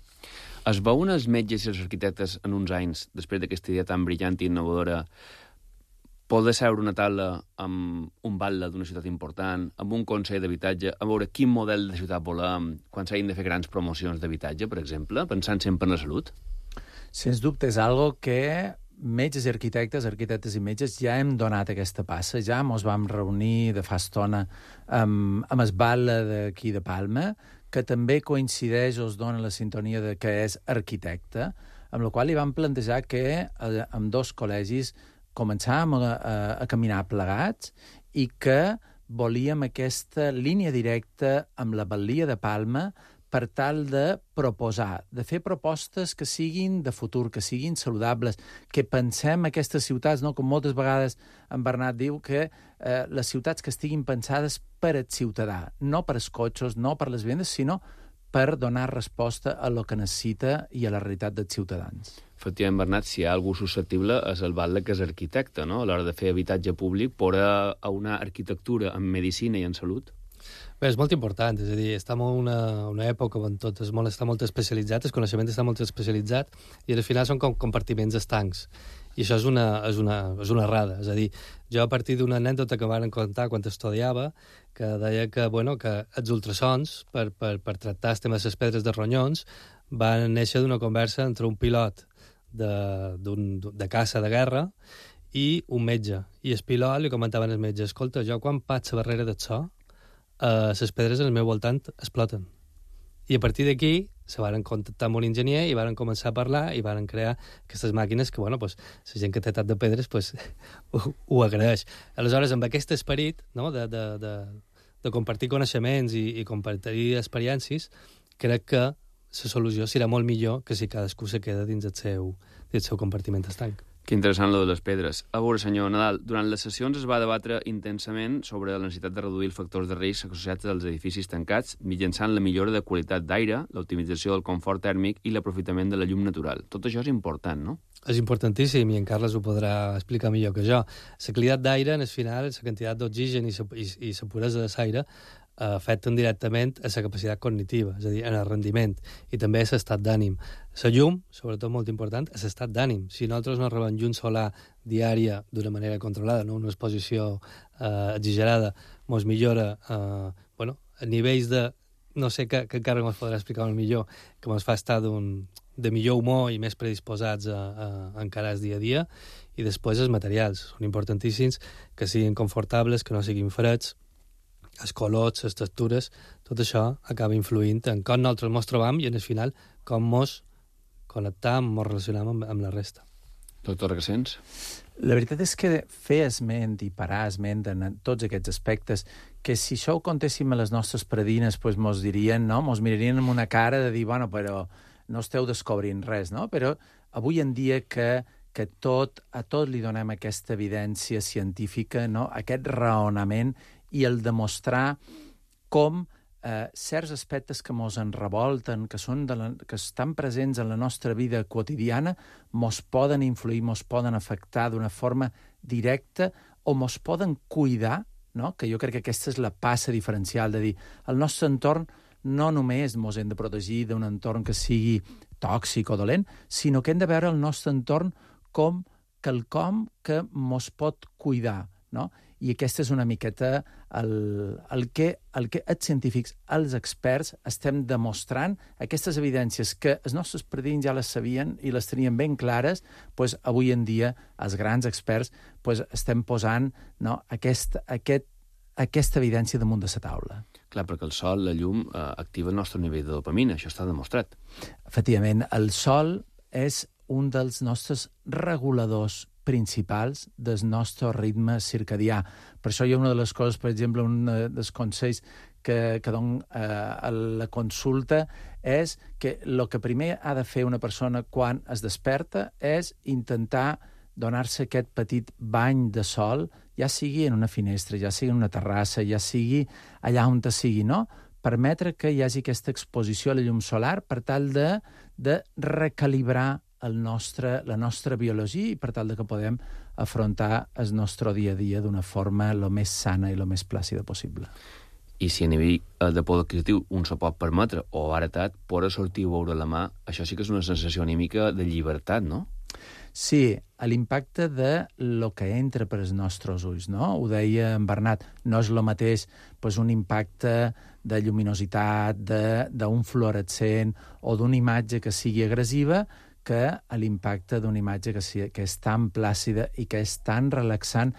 Es veuen els metges i els arquitectes en uns anys, després d'aquesta idea tan brillant i innovadora, poder seure una taula amb un batlle d'una ciutat important, amb un consell d'habitatge, a veure quin model de ciutat volem, quan s'hagin de fer grans promocions d'habitatge, per exemple, pensant sempre en la salut? Sens dubte, és algo que metges i arquitectes, arquitectes i metges, ja hem donat aquesta passa, ja ens vam reunir de fa estona amb, amb el batlle d'aquí de Palma, que també coincideix o es dona la sintonia de que és arquitecte, amb la qual li vam plantejar que eh, amb dos col·legis començàvem a, a, a caminar plegats i que volíem aquesta línia directa amb la batllia de Palma per tal de proposar, de fer propostes que siguin de futur, que siguin saludables, que pensem aquestes ciutats, no? Com moltes vegades en Bernat diu, que eh, les ciutats que estiguin pensades per al ciutadà, no per als cotxes, no per les vendes, sinó per donar resposta a lo que necessita i a la realitat dels ciutadans. Efectivament, Bernat, si hi ha algú susceptible és el batlle que és arquitecte, no? A l'hora de fer habitatge públic, per a una arquitectura en medicina i en salut. Bé, és molt important, és a dir, estem en una, una època on tot és molt, està molt especialitzat, el coneixement està molt especialitzat, i al final són com compartiments estancs. I això és una, és una, és una errada. És a dir, jo a partir d'una anècdota que m'han contar quan estudiava, que deia que, bueno, que els ultrasons, per, per, per tractar el tema de les pedres de ronyons, van néixer d'una conversa entre un pilot de, d'un, de caça de guerra i un metge. I el pilot li comentaven al metge: escolta, jo quan passo darrere d'això, eh, les pedres al meu voltant exploten. I a partir d'aquí se van contactar amb un enginyer i van començar a parlar i van crear aquestes màquines que, bueno, pues, la gent que té tant de pedres pues, ho, ho agraeix. Aleshores, amb aquest esperit, no?, de, de, de, de compartir coneixements i, i compartir experiències, crec que la solució serà molt millor que si cadascú se queda dins el seu, dins el seu compartiment estanc. Que interessant, lo de les pedres. A veure, senyor Nadal, durant les sessions es va debatre intensament sobre la necessitat de reduir els factors de risc associats als edificis tancats mitjançant la millora de qualitat d'aire, l'optimització del confort tèrmic i l'aprofitament de la llum natural. Tot això és important, no? És importantíssim, i en Carles ho podrà explicar millor que jo. La qualitat d'aire, en el final, la quantitat d'oxigen i la puresa de l'aire afecten directament a la capacitat cognitiva, és a dir, en el rendiment, i també a l'estat d'ànim. La llum, sobretot molt important, és l'estat d'ànim. Si nosaltres no rebem llum solar diària d'una manera controlada, no una exposició eh, exagerada, ens millora eh, bueno, a nivells de... no sé que, que encara ens podrà explicar molt millor, que ens fa estar d'un, de millor humor i més predisposats a, a, a encarar el dia a dia, i després els materials. Són importantíssims, que siguin confortables, que no siguin freds, els colors, les textures, tot això acaba influint en com nosaltres ens trobam i, en el final, com ens connectam, ens relacionam amb, amb la resta. Doctor Recens? La veritat és que fer esment i parar esment en tots aquests aspectes, que si això ho contéssim a les nostres predines, pues mos dirien, no? Mos mirarien amb una cara de dir, bueno, però no esteu descobrint res, no? Però avui en dia que, que tot, a tot li donem aquesta evidència científica, no? Aquest raonament i el demostrar com eh, certs aspectes que mos en revolten, que, són de la, que estan presents en la nostra vida quotidiana, mos poden influir, mos poden afectar d'una forma directa o mos poden cuidar, no? Que jo crec que aquesta és la passa diferencial, de dir, el nostre entorn no només mos hem de protegir d'un entorn que sigui tòxic o dolent, sinó que hem de veure el nostre entorn com quelcom que mos pot cuidar, no? I aquesta és una miqueta el, el, que, el que els científics, els experts, estem demostrant, aquestes evidències que els nostres predins ja les sabien i les tenien ben clares, doncs avui en dia els grans experts doncs estem posant, no, aquest, aquest, aquesta evidència damunt de la taula. Clar, perquè el sol, la llum, eh, activa el nostre nivell de dopamina, això està demostrat. Efectivament, el sol és un dels nostres reguladors principals del nostre ritme circadià. Per això hi ha una de les coses, per exemple, un dels consells que, que dono eh, a la consulta és que el que primer ha de fer una persona quan es desperta és intentar donar-se aquest petit bany de sol, ja sigui en una finestra, ja sigui en una terrassa, ja sigui allà on te sigui, no? Permetre que hi hagi aquesta exposició a la llum solar per tal de, de recalibrar el nostre, la nostra biologia i per tal de que podem afrontar el nostre dia a dia d'una forma el més sana i el més plàcida possible. I si a nivell de poder adquisitiu un se pot permetre, o baratat, poder sortir o veure la mà, això sí que és una sensació anímica de llibertat, no? Sí, l'impacte de lo que entra per els nostres ulls, no? Ho deia en Bernat, no és el mateix pues, un impacte de lluminositat, d'un fluorescent o d'una imatge que sigui agressiva, que a l'impacte d'una imatge que, si, que és tan plàcida i que és tan relaxant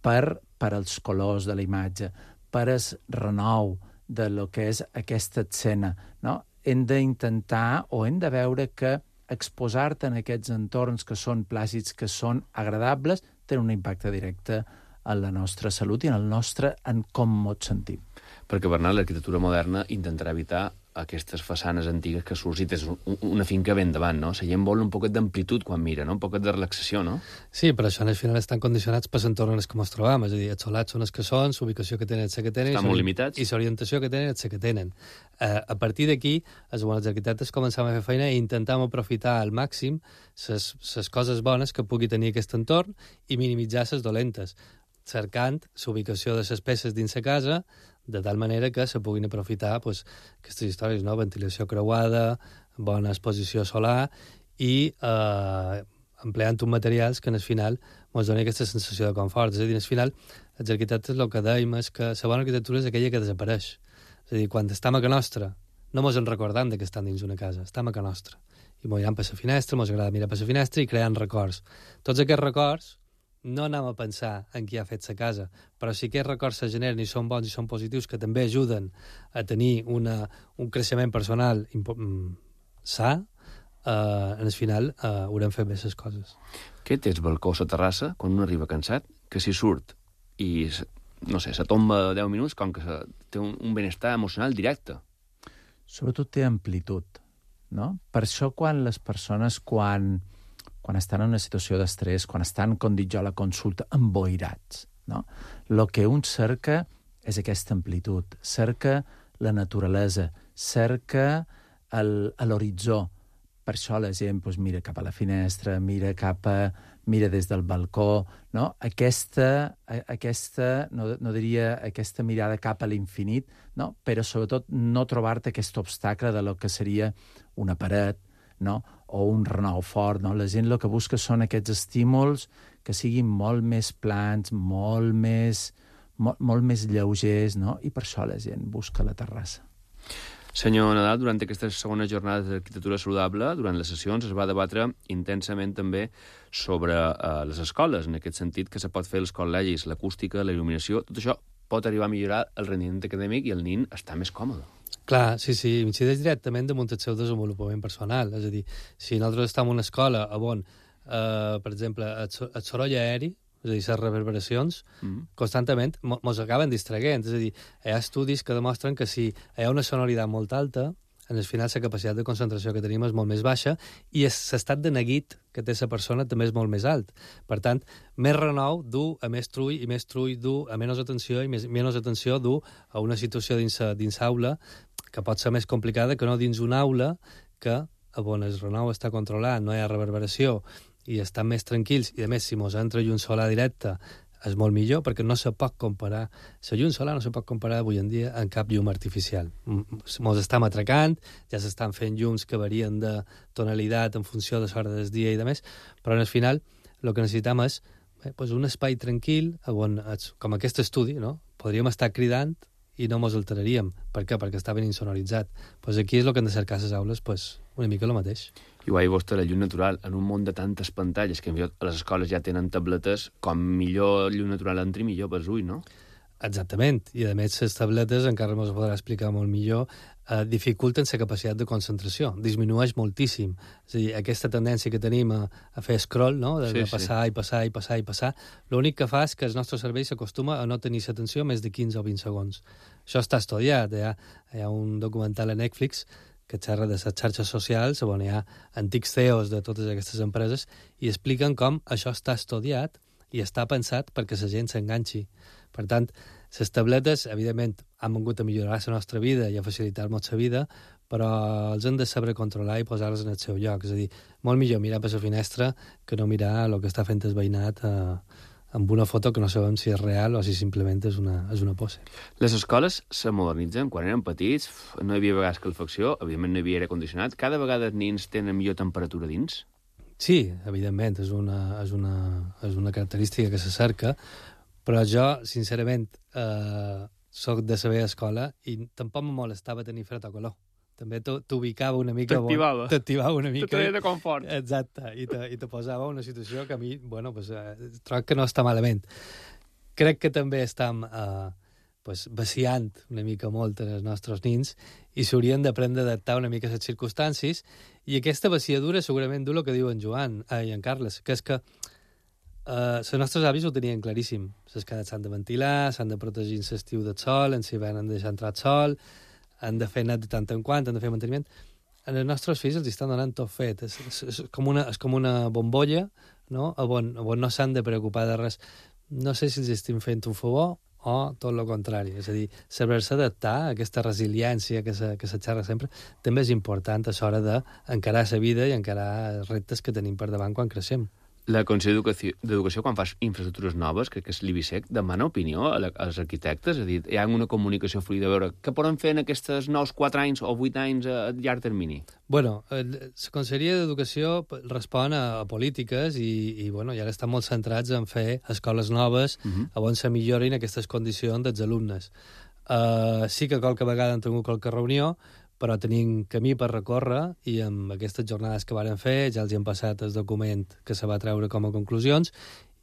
per, per als colors de la imatge, per el renou de lo que és aquesta escena, no? Hem d'intentar o hem de veure que exposar-te en aquests entorns que són plàcids, que són agradables, tenen un impacte directe en la nostra salut i en el nostre, en com ens sentim. Perquè, Bernat, l'arquitectura moderna intentarà evitar aquestes façanes antigues que surts i tens una finca ben davant, no? La gent vol un poquet d'amplitud quan mira, no? Un poquet de relaxació, no? Sí, però això al final estan condicionats per l'entorn en el que ens trobam, és a dir, els solats són els que són, l'ubicació que tenen és la que tenen, estan molt limitats, i l'orientació que tenen és la que tenen. Uh, a partir d'aquí, els bons arquitectes començam a fer feina i intentam aprofitar al màxim les coses bones que pugui tenir aquest entorn i minimitzar les dolentes, cercant l'ubicació de les peces dins la casa, de tal manera que se puguin aprofitar pues, aquestes històries, no? Ventilació creuada, bona exposició solar i eh, empleant uns materials que, en el final, ens donen aquesta sensació de confort. És a dir, al final, els arquitectes el que dèiem és que la bona arquitectura és aquella que desapareix. És a dir, quan estem a casa nostra, no ens en recordam que estem dins una casa, estem a casa nostra. I mirem per la finestra, ens agrada mirar per la finestra i creant records. Tots aquests records no anem a pensar en qui ha fet la casa, però si aquests records se generen i són bons i són positius, que també ajuden a tenir una, un creixement personal sa, eh, en el final eh, haurem fet bé les coses. Què té el balcó a la terrassa quan un arriba cansat? Que si surt i, no sé, se tomba deu minuts, com que se, té un, un benestar emocional directe. Sobretot té amplitud, no? Per això quan les persones, quan... quan estan en una situació d'estrès, quan estan, com dic jo, a la consulta, emboirats, no? El que un cerca és aquesta amplitud, cerca la naturalesa, cerca l'horitzó. Per això la gent doncs, mira cap a la finestra, mira cap a... mira des del balcó, no? Aquesta, aquesta no, no diria, aquesta mirada cap a l'infinit, no? Però sobretot no trobar-te aquest obstacle de lo que seria una paret, no? O un renou fort, no? La gent el que busca són aquests estímuls que siguin molt més plans, molt més, molt, molt més lleugers, no? I per això la gent busca la terrassa. Senyor Nadal, durant aquestes segones jornades d'arquitectura saludable, durant les sessions es va debatre intensament també sobre uh, les escoles, en aquest sentit que se pot fer els col·legis, l'acústica, la il·luminació, tot això pot arribar a millorar el rendiment acadèmic i el nin està més còmode. Clar, sí, sí, incideix directament damunt el seu desenvolupament personal. És a dir, si nosaltres estem en una escola on, eh, per exemple, el, el soroll aeri, és a dir, les reverberacions, mm. constantment ens acaben distraient. És a dir, hi ha estudis que demostren que si hi ha una sonoritat molt alta, en el final la capacitat de concentració que tenim és molt més baixa i l'estat de neguit que té la persona també és molt més alt. Per tant, més renou du a més trull i més trull du a menys atenció i més, menys atenció du a una situació dins, dins aula que pot ser més complicada que no dins una aula que on el renou està controlat, no hi ha reverberació i estan més tranquils i a més si mos entra llum solar directa és molt millor perquè no se pot comparar, la llum solar no se pot comparar avui en dia amb cap llum artificial. Ens estem atracant, ja s'estan fent llums que varien de tonalitat en funció de l'hora del dia i de més, però al final el que necessitem és eh, pues un espai tranquil on, com aquest estudi, no? Podríem estar cridant i no mos alteraríem. Per què? Perquè està ben insonoritzat. Pues aquí és el que hem de cercar a les aules, pues, una mica el mateix. I ho ha dit vostè, la llum natural, en un món de tantes pantalles, que a les escoles ja tenen tabletes, com millor llum natural entri, millor pels ulls, no? Exactament. I, a més, les tabletes, encara mos podrà explicar molt millor, eh, dificulten la capacitat de concentració. Disminueix moltíssim. És a dir, aquesta tendència que tenim a, a fer scroll, no? De, sí, de passar sí. i passar i passar i passar, l'únic que fa és que el nostre cervell s'acostuma a no tenir l'atenció més de quinze o vint segons. Això està estudiat. Hi ha, hi ha un documental a Netflix que xerra de les xarxes socials, on hi ha antics C E Os de totes aquestes empreses, i expliquen com això està estudiat i està pensat perquè la gent s'enganxi. Per tant, les tabletes, evidentment, han vingut a millorar la nostra vida i a facilitar-nos la vida, però els hem de saber controlar i posar-los en el seu lloc. És a dir, molt millor mirar per la finestra que no mirar el que està fent el veïnat eh, amb una foto que no sabem si és real o si simplement és una, és una pose. Les escoles se modernitzen. Quan eren petits no hi havia vegades calefacció, evidentment no hi havia aire condicionat. Cada vegada els nins tenen millor temperatura dins? Sí, evidentment, és una, és una, és una característica que se cerca, però jo, sincerament, eh, soc de saber escola i tampoc me molestava tenir fred o calor. També t'ubicava una mica... T'activava. T'activava una mica. Te de confort. Exacte, i te, i te posava una situació que a mi, bueno, pues, eh, trobo que no està malament. Crec que també estem eh, pues, vaciant una mica molt els nostres nins i s'haurien d'aprendre a adaptar una mica a les circumstàncies i aquesta vaciadura segurament du el que diu en Joan eh, i en Carles, que és que Uh, els nostres avis ho tenien claríssim. Les cases s'han de ventilar, s'han de protegir en l'estiu del sol, en l'hivern han de deixar entrar el sol, han de fer net de tant en quant, han de fer manteniment. En els nostres fills els estan donant tot fet. És, és, és, com, una, és com una bombolla, no? On, on no s'han de preocupar de res. No sé si els estem fent un favor o tot el contrari. És a dir, saber-se adaptar a aquesta resiliència que se, que se xerra sempre també és important a l'hora d'encarar la vida i encarar els reptes que tenim per davant quan creixem. La Conselleria d'Educació, quan fas infraestructures noves, crec que és l'I B S E C, demana opinió als arquitectes, és a dir, hi ha una comunicació fluida, a veure què poden fer en aquests nous quatre anys o vuit anys a llarg termini? Bueno, la Conselleria d'Educació respon a, a polítiques i, i, bueno, i ara estan molt centrats en fer escoles noves uh-huh. on se millorin aquestes condicions dels alumnes. Uh, sí que qualque vegada han tingut qualque reunió, però tenim camí per recórrer i amb aquestes jornades que varen fer ja els hi han passat el document que se va treure com a conclusions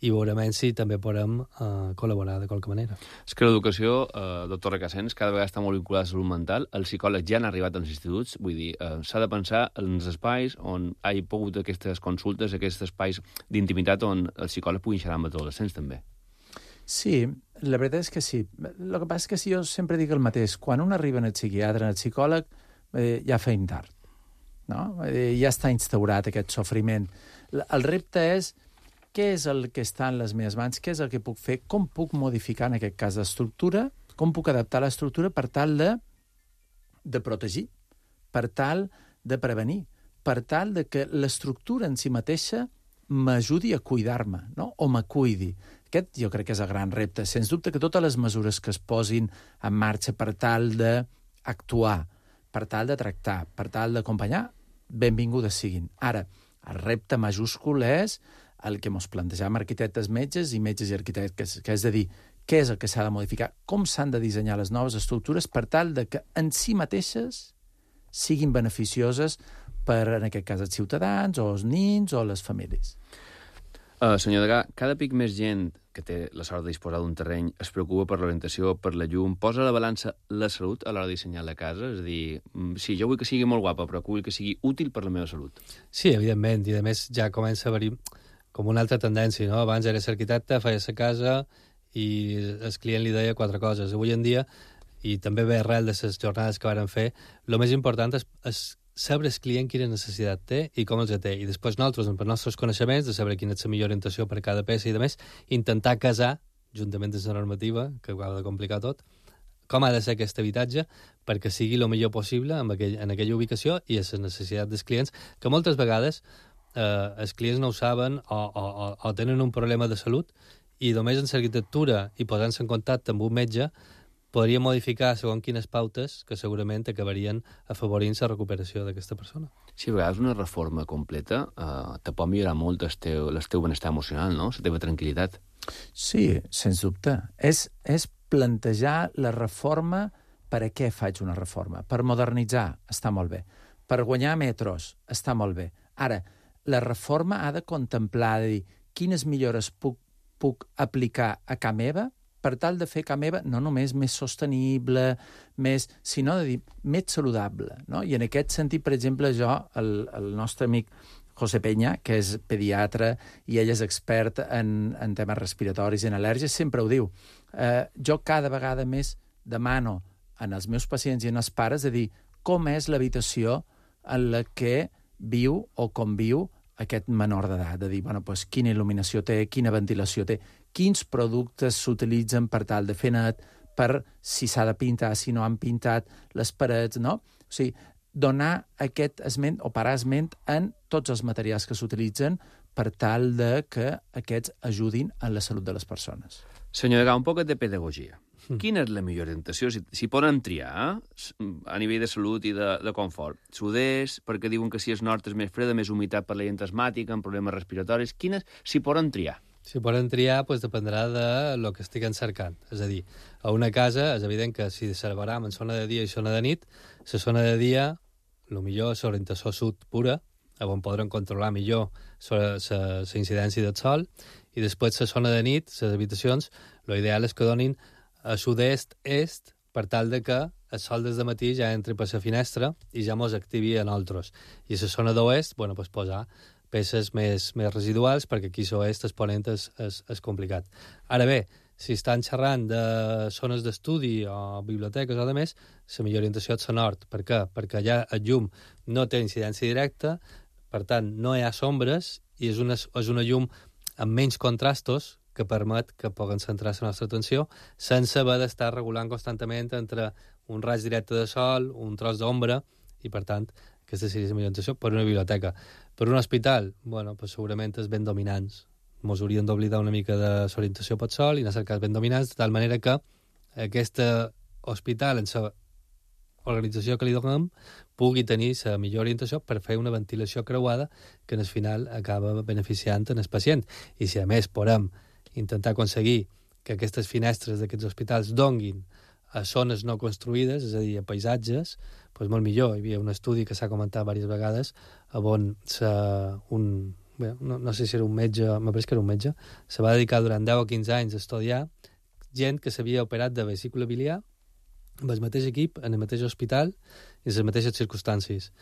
i veurem si també podem uh, col·laborar de qualque manera. És que l'educació, eh, doctor Recasens, cada vegada està molt vinculada a la salut mental. Els psicòlegs ja han arribat als instituts, vull dir, eh, s'ha de pensar en els espais on hi ha pogut aquestes consultes, aquests espais d'intimitat on els psicòlegs puguin xerrar amb els adolescents també. Sí, la veritat és que sí. El que passa és que si jo sempre dic el mateix. Quan un arriba en el psiquiatre, en el psicòleg, eh, ja feim tard. No? Eh, ja està instaurat aquest sofriment. El repte és què és el que està en les meves mans, què és el que puc fer, com puc modificar en aquest cas l'estructura, com puc adaptar l'estructura per tal de, de protegir, per tal de prevenir, per tal de que l'estructura en si mateixa m'ajudi a cuidar-me, no? O m'acuidi. Aquest jo crec que és el gran repte. Sens dubte que totes les mesures que es posin en marxa per tal d'actuar, per tal de tractar, per tal d'acompanyar, benvingudes siguin. Ara, el repte majúscul és el que ens plantejam arquitectes metges i metges i arquitectes, que és de dir, què és el que s'ha de modificar, com s'han de dissenyar les noves estructures per tal de que en si mateixes siguin beneficioses per, en aquest cas, els ciutadans o els nins o les famílies. Uh, senyor Degà, cada pic més gent que té la sort de disposar d'un terreny es preocupa per l'orientació, per la llum, posa a la balança la salut a l'hora de dissenyar la casa? És a dir, sí, jo vull que sigui molt guapa, però vull que sigui útil per la meva salut. Sí, evidentment, i a més ja comença a haver-hi com una altra tendència, no? Abans eres arquitecte, feies la casa i el client li deia quatre coses. Avui en dia, i també ve arrel de les jornades que varen fer, el més important és, és saber el client quina necessitat té i com els té. I després nosaltres, per nostres coneixements, de saber quina és la millor orientació per a cada peça i, a més, intentar casar, juntament amb la normativa, que ho ha de complicar tot, com ha de ser aquest habitatge perquè sigui el millor possible en, aquell, en aquella ubicació i a les necessitats dels clients, que moltes vegades eh, els clients no ho saben o, o, o, o tenen un problema de salut i només en l'arquitectura i posant-se en contacte amb un metge podria modificar segons quines pautes que segurament acabarien afavorint la recuperació d'aquesta persona. Sí, a vegades una reforma completa eh, te pot millorar molt el teu, el teu benestar emocional, no? La teva tranquil·litat. Sí, sens dubte. És, és plantejar la reforma per a què faig una reforma. Per modernitzar, està molt bé. Per guanyar metros, està molt bé. Ara, la reforma ha de contemplar, de dir, quines millores puc, puc aplicar a casa meva per tal de fer casa meva no només més sostenible, més, sinó de dir més saludable. No? I en aquest sentit, per exemple, jo, el, el nostre amic José Peña, que és pediatre i ell és expert en, en temes respiratoris i en al·lèrgies, sempre ho diu. Eh, jo cada vegada més demano en els meus pacients i en els pares de dir com és l'habitació en la que viu o conviu aquest menor d'edat, de dir, bueno, doncs, quina il·luminació té, quina ventilació té, quins productes s'utilitzen per tal de fer net, per si s'ha de pintar, si no han pintat les parets, no? O sigui, donar aquest esment o parar esment en tots els materials que s'utilitzen per tal de que aquests ajudin en la salut de les persones. Senyor Degà, un poc de pedagogia. Mm. Quina és la millor orientació? Si, si poden triar eh? a nivell de salut i de, de confort. Sud-est, perquè diuen que si és nord és més freda, més humitat per la gent asmàtica, amb problemes respiratoris. Quines, si poden triar? Si poden triar, doncs dependrà de lo que estiguen cercant. És a dir, a una casa és evident que si separam en zona de dia i zona de nit, la zona de dia, el millor és orientació sud pura, on podran controlar millor la incidència del sol, i després la zona de nit, les habitacions, l'ideal és que donin a sud-est-est per tal de que el sol des de matí ja entri per la finestra i ja mos activi a nosaltres. I a la zona d'oest, bueno, pues posar peces més, més residuals, perquè aquí a l'oest el ponent és, és, és complicat. Ara bé, si estan xerrant de zones d'estudi o biblioteques o de més, la millor orientació és la nord. Per què? Perquè allà el llum no té incidència directa, per tant, no hi ha sombres i és una, és una llum amb menys contrastos que permet que puguem centrar la nostra atenció sense haver d'estar regulant constantment entre un raig directe de sol, un tros d'ombra, i per tant, aquesta seria la millor orientació per una biblioteca. Per un hospital, bueno, pues segurament és ben dominants. Ens hauríem d'oblidar una mica de l'orientació pel sol i anar a cercar ben dominants, de tal manera que aquest hospital, en la organització que li donem, pugui tenir la millor orientació per fer una ventilació creuada que en el final acaba beneficiant en el pacient. I si a més podem intentar aconseguir que aquestes finestres d'aquests hospitals donguin a zones no construïdes, és a dir, a paisatges, doncs molt millor. Hi havia un estudi que s'ha comentat diverses vegades on un, bé, no, no sé si era un metge, m'apareix que era un metge, se va dedicar durant deu o quinze anys a estudiar gent que s'havia operat de vesícula biliar amb el mateix equip, en el mateix hospital i en les mateixes circumstàncies.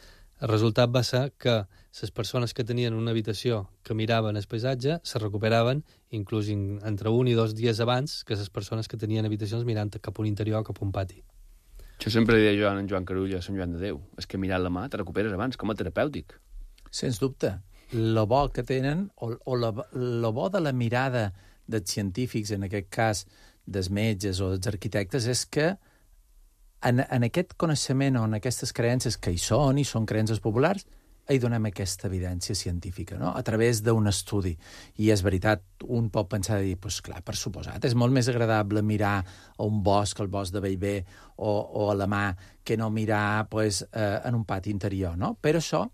El resultat va ser que les persones que tenien una habitació que miraven el paisatge se recuperaven inclús entre un i dos dies abans que les persones que tenien habitacions mirant cap a un interior o cap a un pati. Això sempre deia jo a en Joan Carulla, a Sant Joan de Déu. És que mirant la mà te recuperes abans, com a terapèutic. Sens dubte. Lo bo que tenen, o, o lo, lo bo de la mirada dels científics, en aquest cas dels metges o dels arquitectes, és que en, en aquest coneixement o en aquestes creences que hi són, i són creences populars, hi donem aquesta evidència científica, no? A través d'un estudi. I és veritat, un pot pensar i dir, pues clar, per suposat, és molt més agradable mirar a un bosc, al bosc de Bellver, o, o a la mà, que no mirar pues, eh, en un pati interior, no? Per això,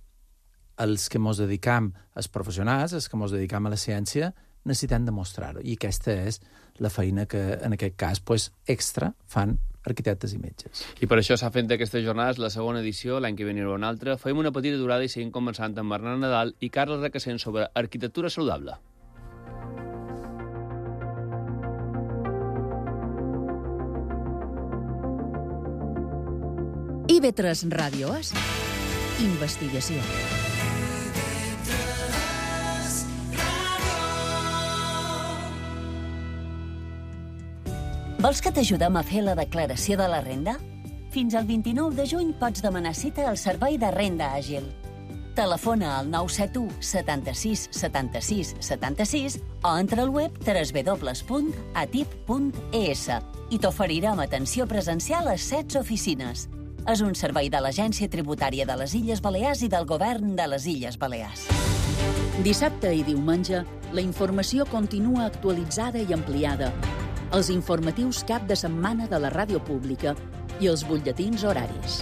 els que ens dedicam, els professionals, els que ens dedicam a la ciència, necessitem demostrar-ho. I aquesta és la feina que, en aquest cas, pues, extra fan arquitectes i metges. I per això s'ha fet d'aquestes jornades la segona edició, l'any que ve n'hi haurà una altra. Fem una petita durada i seguim conversant amb Bernat Nadal i Carles Recasens sobre arquitectura saludable. I ve tres Ràdio és investigació. Vols que t'ajudem a fer la declaració de la renda? Fins al vint-i-nou de juny pots demanar cita al Servei de Renda Àgil. Telefona al nou set u setanta-sis setanta-sis setanta-sis o entra al web w w w punt atip punt e s i t'oferirem atenció presencial a set oficines. És un servei de l'Agència Tributària de les Illes Balears i del Govern de les Illes Balears. Dissabte i diumenge, la informació continua actualitzada i ampliada. Els informatius cap de setmana de la ràdio pública i els butlletins horaris.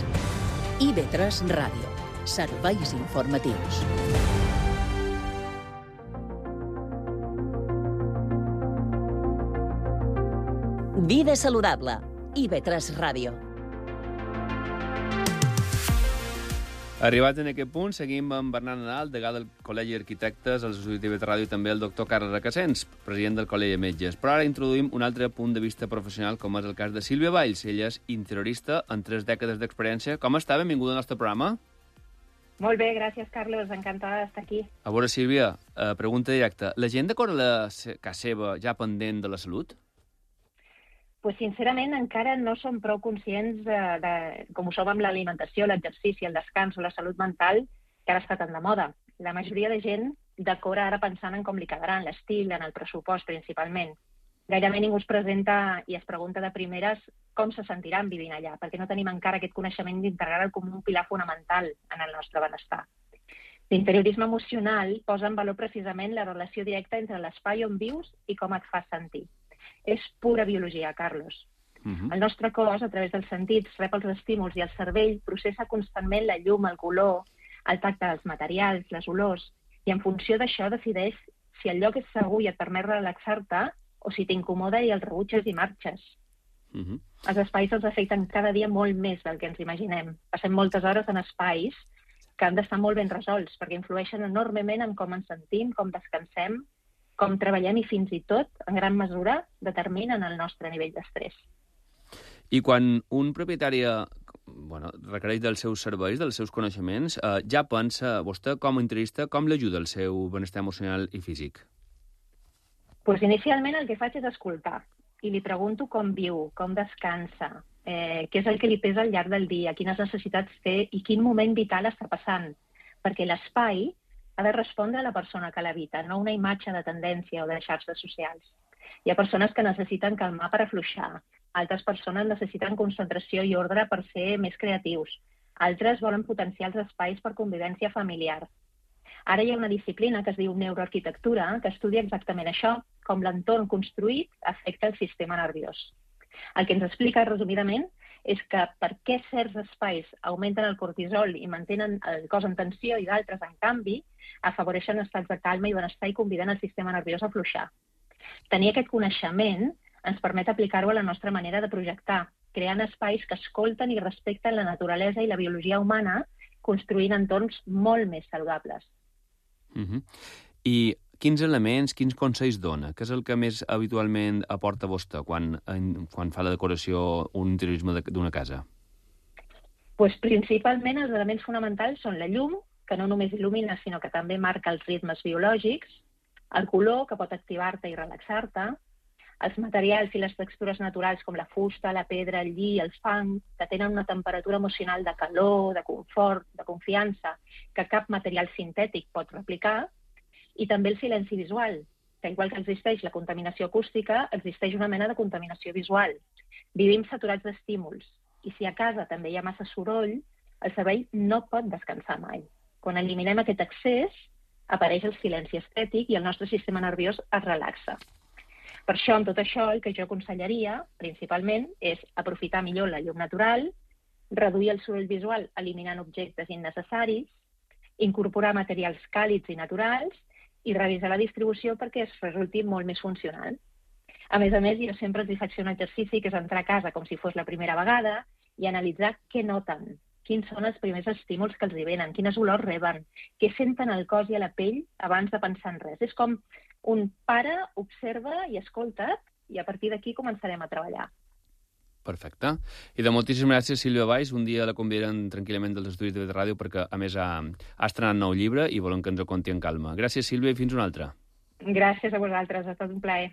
I ve tres Ràdio. Serveis informatius. Vida saludable. I ve tres Ràdio. Arribat en aquest punt, seguim amb Bernat Nadal, degà del Col·legi d'Arquitectes, al Institut de Ràdio i també el doctor Carles Recasens, president del Col·legi de Metges. Però ara introduïm un altre punt de vista professional, com és el cas de Sílvia Valls. Ella és interiorista amb tres dècades d'experiència. Com està? Benvinguda al nostre programa. Molt bé, gràcies, Carles. Encantada d'estar aquí. A veure, Sílvia, eh, pregunta directa. La gent d'acord a la casa seva ja pendent de la salut? Pues, sincerament, encara no som prou conscients de, de com ho som amb l'alimentació, l'exercici, el descans o la salut mental, que ara està tan de moda. La majoria de gent d'acord ara pensant en com li quedarà, en l'estil, en el pressupost, principalment. Gairebé ningú es presenta i es pregunta de primeres com se sentiran vivint allà, perquè no tenim encara aquest coneixement d'integrar-lo com un pilar fonamental en el nostre benestar. L'interiorisme emocional posa en valor precisament la relació directa entre l'espai on vius i com et fa sentir. És pura biologia, Carlos. Uh-huh. El nostre cos, a través dels sentits, rep els estímuls i el cervell processa constantment la llum, el color, el tacte dels materials, les olors, i en funció d'això decideix si el lloc és segur i et permet relaxar-te o si t'incomoda i el rebutges i marxes. Uh-huh. Els espais els afecten cada dia molt més del que ens imaginem. Passem moltes hores en espais que han d'estar molt ben resolts perquè influeixen enormement en com ens sentim, com descansem, com treballem i fins i tot, en gran mesura, determinen el nostre nivell d'estrès. I quan un propietari bueno, requereix dels seus serveis, dels seus coneixements, eh, ja pensa, vostè com a interiorista, com l'ajuda el seu benestar emocional i físic? Pues inicialment el que faig és escoltar. i li pregunto com viu, com descansa, eh, què és el que li pesa al llarg del dia, quines necessitats té i quin moment vital està passant. Perquè l'espai ha de respondre a la persona que l'habita, no una imatge de tendència o de xarxes socials. Hi ha persones que necessiten calmar per afluixar, altres persones necessiten concentració i ordre per ser més creatius, altres volen potenciar els espais per convivència familiar. Ara hi ha una disciplina que es diu neuroarquitectura, que estudia exactament això, com l'entorn construït afecta el sistema nerviós. El que ens explica, resumidament, és que per què certs espais augmenten el cortisol i mantenen el cos en tensió i d'altres, en canvi, afavoreixen estats de calma i benestar i conviden el sistema nerviós a afluixar. Tenir aquest coneixement ens permet aplicar-ho a la nostra manera de projectar, creant espais que escolten i respecten la naturalesa i la biologia humana, construint entorns molt més saludables. Uh-huh. I quins elements, quins consells dona? Què és el que més habitualment aporta vostè quan, en, quan fa la decoració o un interiorisme d'una casa? Pues, principalment els elements fonamentals són la llum, que no només il·lumina, sinó que també marca els ritmes biològics, el color, que pot activar-te i relaxar-te, els materials i les textures naturals com la fusta, la pedra, el lli, el fang, que tenen una temperatura emocional de calor, de confort, de confiança, que cap material sintètic pot replicar, i també el silenci visual, que igual que existeix la contaminació acústica, existeix una mena de contaminació visual. Vivim saturats d'estímuls, i si a casa també hi ha massa soroll, el cervell no pot descansar mai. Quan eliminem aquest excés, apareix el silenci estètic i el nostre sistema nerviós es relaxa. Per això, amb tot això, el que jo aconsellaria, principalment, és aprofitar millor la llum natural, reduir el soroll visual eliminant objectes innecessaris, incorporar materials càlids i naturals i revisar la distribució perquè es resulti molt més funcional. A més a més, jo sempre els faig fer un exercici que és entrar a casa com si fos la primera vegada i analitzar què noten, quins són els primers estímuls que els hi venen, quines olors reben, què senten al cos i a la pell abans de pensar en res. És com un pare observa i escolta i a partir d'aquí començarem a treballar. Perfecte. I de moltíssimes gràcies, Sílvia Valls. Un dia la convidaran tranquil·lament dels estudis de ràdio perquè, a més, ha, ha estrenat nou llibre i volem que ens ho conti en calma. Gràcies, Sílvia, i fins una altra. Gràcies a vosaltres, ha estat un plaer.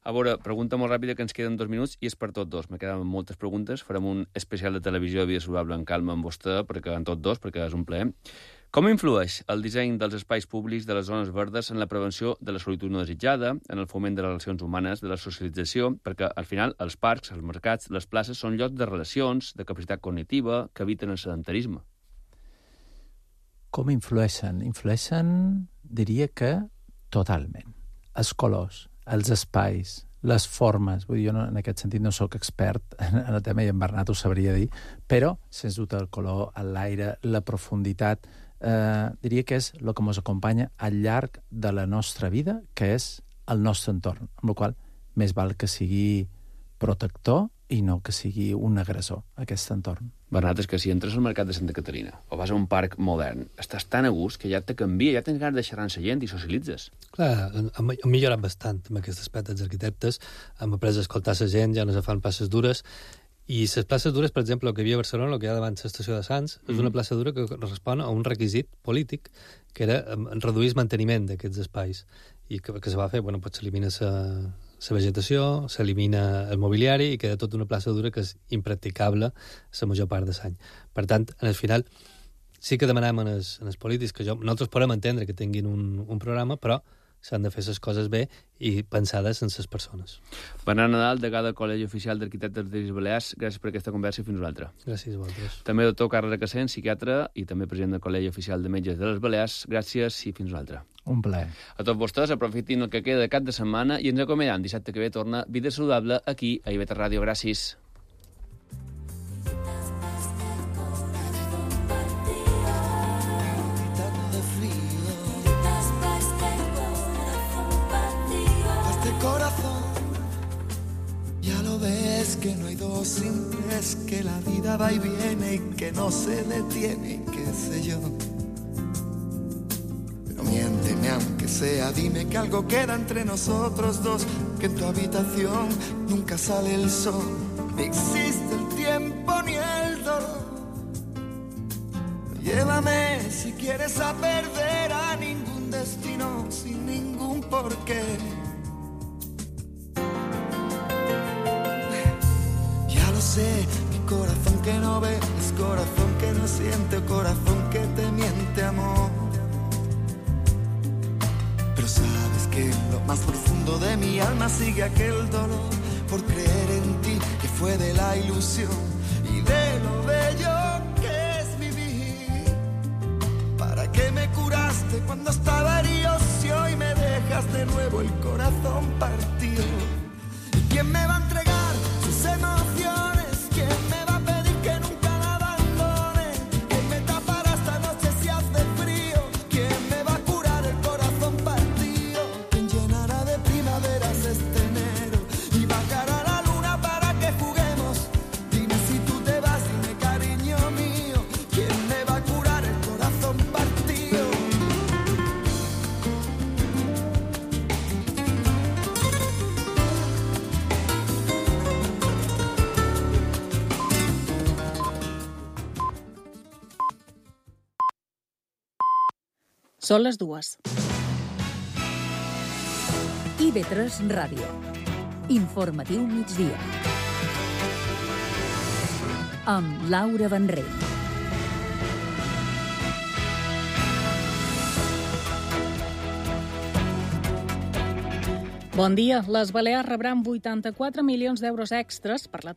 A veure, pregunta molt ràpida que ens queden dos minuts i és per tots dos. Me queden moltes preguntes. Farem un especial de televisió de Vida Saludable en calma amb vostè, perquè en tots dos, perquè és un plaer. Com influeix el disseny dels espais públics de les zones verdes en la prevenció de la solitud no desitjada, en el foment de les relacions humanes, de la socialització, perquè al final els parcs, els mercats, les places són llocs de relacions, de capacitat cognitiva, que eviten el sedentarisme? Com influeixen? Influeixen, diria que totalment. Els colors, els espais, les formes. Vull dir, jo no, en aquest sentit no sóc expert en, en el tema i en Bernat ho sabria dir, però, sens dubte, el color, l'aire, la profunditat, eh, diria que és el que ens acompanya al llarg de la nostra vida, que és el nostre entorn, amb la qual més val que sigui protector i no que sigui un agressor, aquest entorn. Bernat, és que si entres al mercat de Santa Caterina o vas a un parc modern, estàs tan a gust que ja te canvia, ja tens ganes de xerrar amb la gent i socialitzes. Clar, hem millorat bastant amb aquest aspecte dels arquitectes, hem après a escoltar la gent, ja no se fan places dures, i les places dures, per exemple, el que hi havia a Barcelona, el que hi ha davant l'estació de Sants, mm-hmm. és una plaça dura que respon a un requisit polític, que era reduir el manteniment d'aquests espais, i que, que se va fer, bueno, pues s'elimina la vegetació, s'elimina el mobiliari i queda tota una plaça dura que és impracticable la major part de l'any. Per tant, en el final, sí que demanem en els, en els polítics que jo, nosaltres podem entendre que tinguin un, un programa, però s'han de fer les coses bé i pensades en les persones. Bernat Nadal, degà del Col·legi Oficial d'Arquitectes de les Balears, gràcies per aquesta conversa i fins una altra. Gràcies a vosaltres. També doctor Carles Recassent, psiquiatre i també president del Col·legi Oficial de Metges de les Balears, gràcies i fins una altra. Un plaer. A tots vostès, aprofitin el que queda de cap de setmana i ens acomiadem. Dissabte que ve torna Vida Saludable aquí a I V T Ràdio. Gràcies. Que no hay dos sin tres, que la vida va y viene y que no se detiene, y qué sé yo. Pero miénteme aunque sea, dime que algo queda entre nosotros dos, que en tu habitación nunca sale el sol, ni existe el tiempo ni el dolor. Llévame si quieres a perder a ningún destino sin ningún porqué. sé que corazón que no ve es corazón que no siente o corazón que te miente, amor. Pero sabes que en lo más profundo de mi alma sigue aquel dolor por creer en ti, que fue de la ilusión y de lo bello que es vivir. ¿Para qué me curaste cuando estaba herido si hoy me dejas de nuevo el corazón partido? ¿Y quién me va a entregar sus emociones? ¿Quién me va a pedir que nunca la abandone? ¿Quién me tapará esta noche si hace frío? ¿Quién me va a curar el corazón partido? ¿Quién llenará de primaveras este enero y bajará la luna para que juguemos? Dime si tú te vas, dime cariño mío, ¿quién me va a curar el corazón partido? Són les dues. I ve tres Ràdio. Informatiu migdia. Amb Laura Benrell. Bon dia. Les Balears rebran vuitanta-quatre milions d'euros extres per la